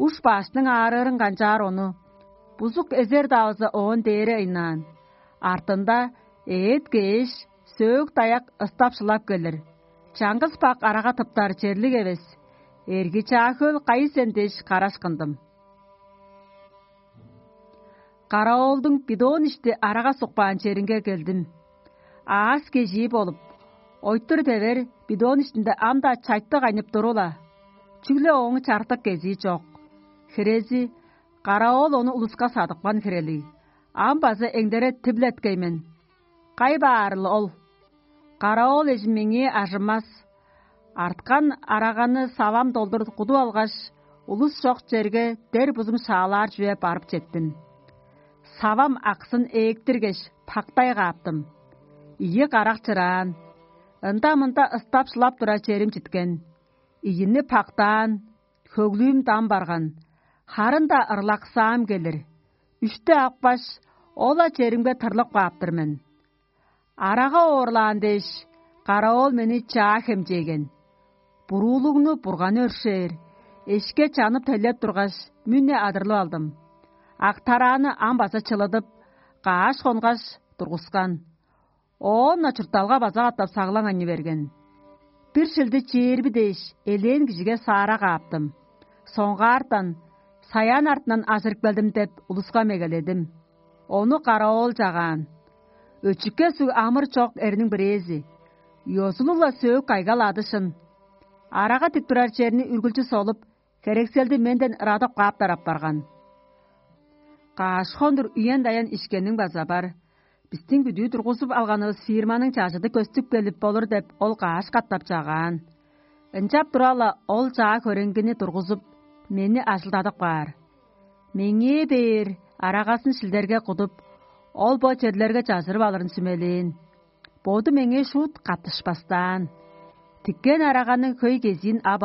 Уш баштың аарыырын канчаар ону, бузук эзер-давызы оон дээре ыйнаан. Артында эът кээш, сөөк-даяк ыстап-шылап келир. Чаңгыс бак арага тыптар черлик эвес. Эрги-чаа хөөл кайы сен дээш, караш кындым. Караоолдуң бидон ишти арага сукпаан черинге келдим. Аас кежии болуп, ойтур девер бидон иштинде ам-даа чайтты кайнып турула, чүгле ооң чартык кезии чок. Хирези, караоол ону улуска садыпкан хирелиг. Ам база эңдере тиблеткей мен. Кай баарыл ол? Караоол эжим меңээ ажымас. Арткан араганы савам долдур кудуп алгаш, улус чок черге дер бузум шаалаар чүве барып четтим. Савам аксын ээктиргеш, пактай кааптым. Ийи карак чыраан. Ында-мында ыстап-шылап турар черим читкен. Ийини пактаан, хөглүүм дам барган. Харын-даа ырлаксаам келир. Үште апкаш, ол-ла черимге тырлып кааптыр мен. Арага оорлаан дээш, караоол мени чаа хемчээген. Буруулугну Бурган өршээр, эшке чанып-телеп тургаш, мүне адырлып алдым. Актарааны ам база чылыдып, кааш хонгаш тургускан. Оон-на чуртталга база катап саглаң ани берген. Бир шилди чээрби дээш, элээн кижиге саара кааптым. Соңгаартан: «Саян артынан ажырып келдим» — деп, улуска мегеледим. Ону караоол чагаан. Өчүкке суг амыр чок эрниң бирээзи. Ёзулуг-ла сөөк кайгал адышын. Арага тип турар черни үргүлчү солуп, херекселди менден ырадып кааптар апарган. Кааш хондур үен-даян ишкенниң база бар. Бистиң бүдүү тургузуп алганывыс фирманың чажыды көстүп келип болур деп, ол кааш катап чагаан. Ынчап тура-ла, ол чаа хөреңгини тургузуп, мени ажылдадып каар. Меңээ бээр арагазын шилдерге кудуп, ол бо черлерге чажырып алырын сүмелээн. Боду меңээ шуут каттышпастаан. Тиккен араганың хөй кезиин ап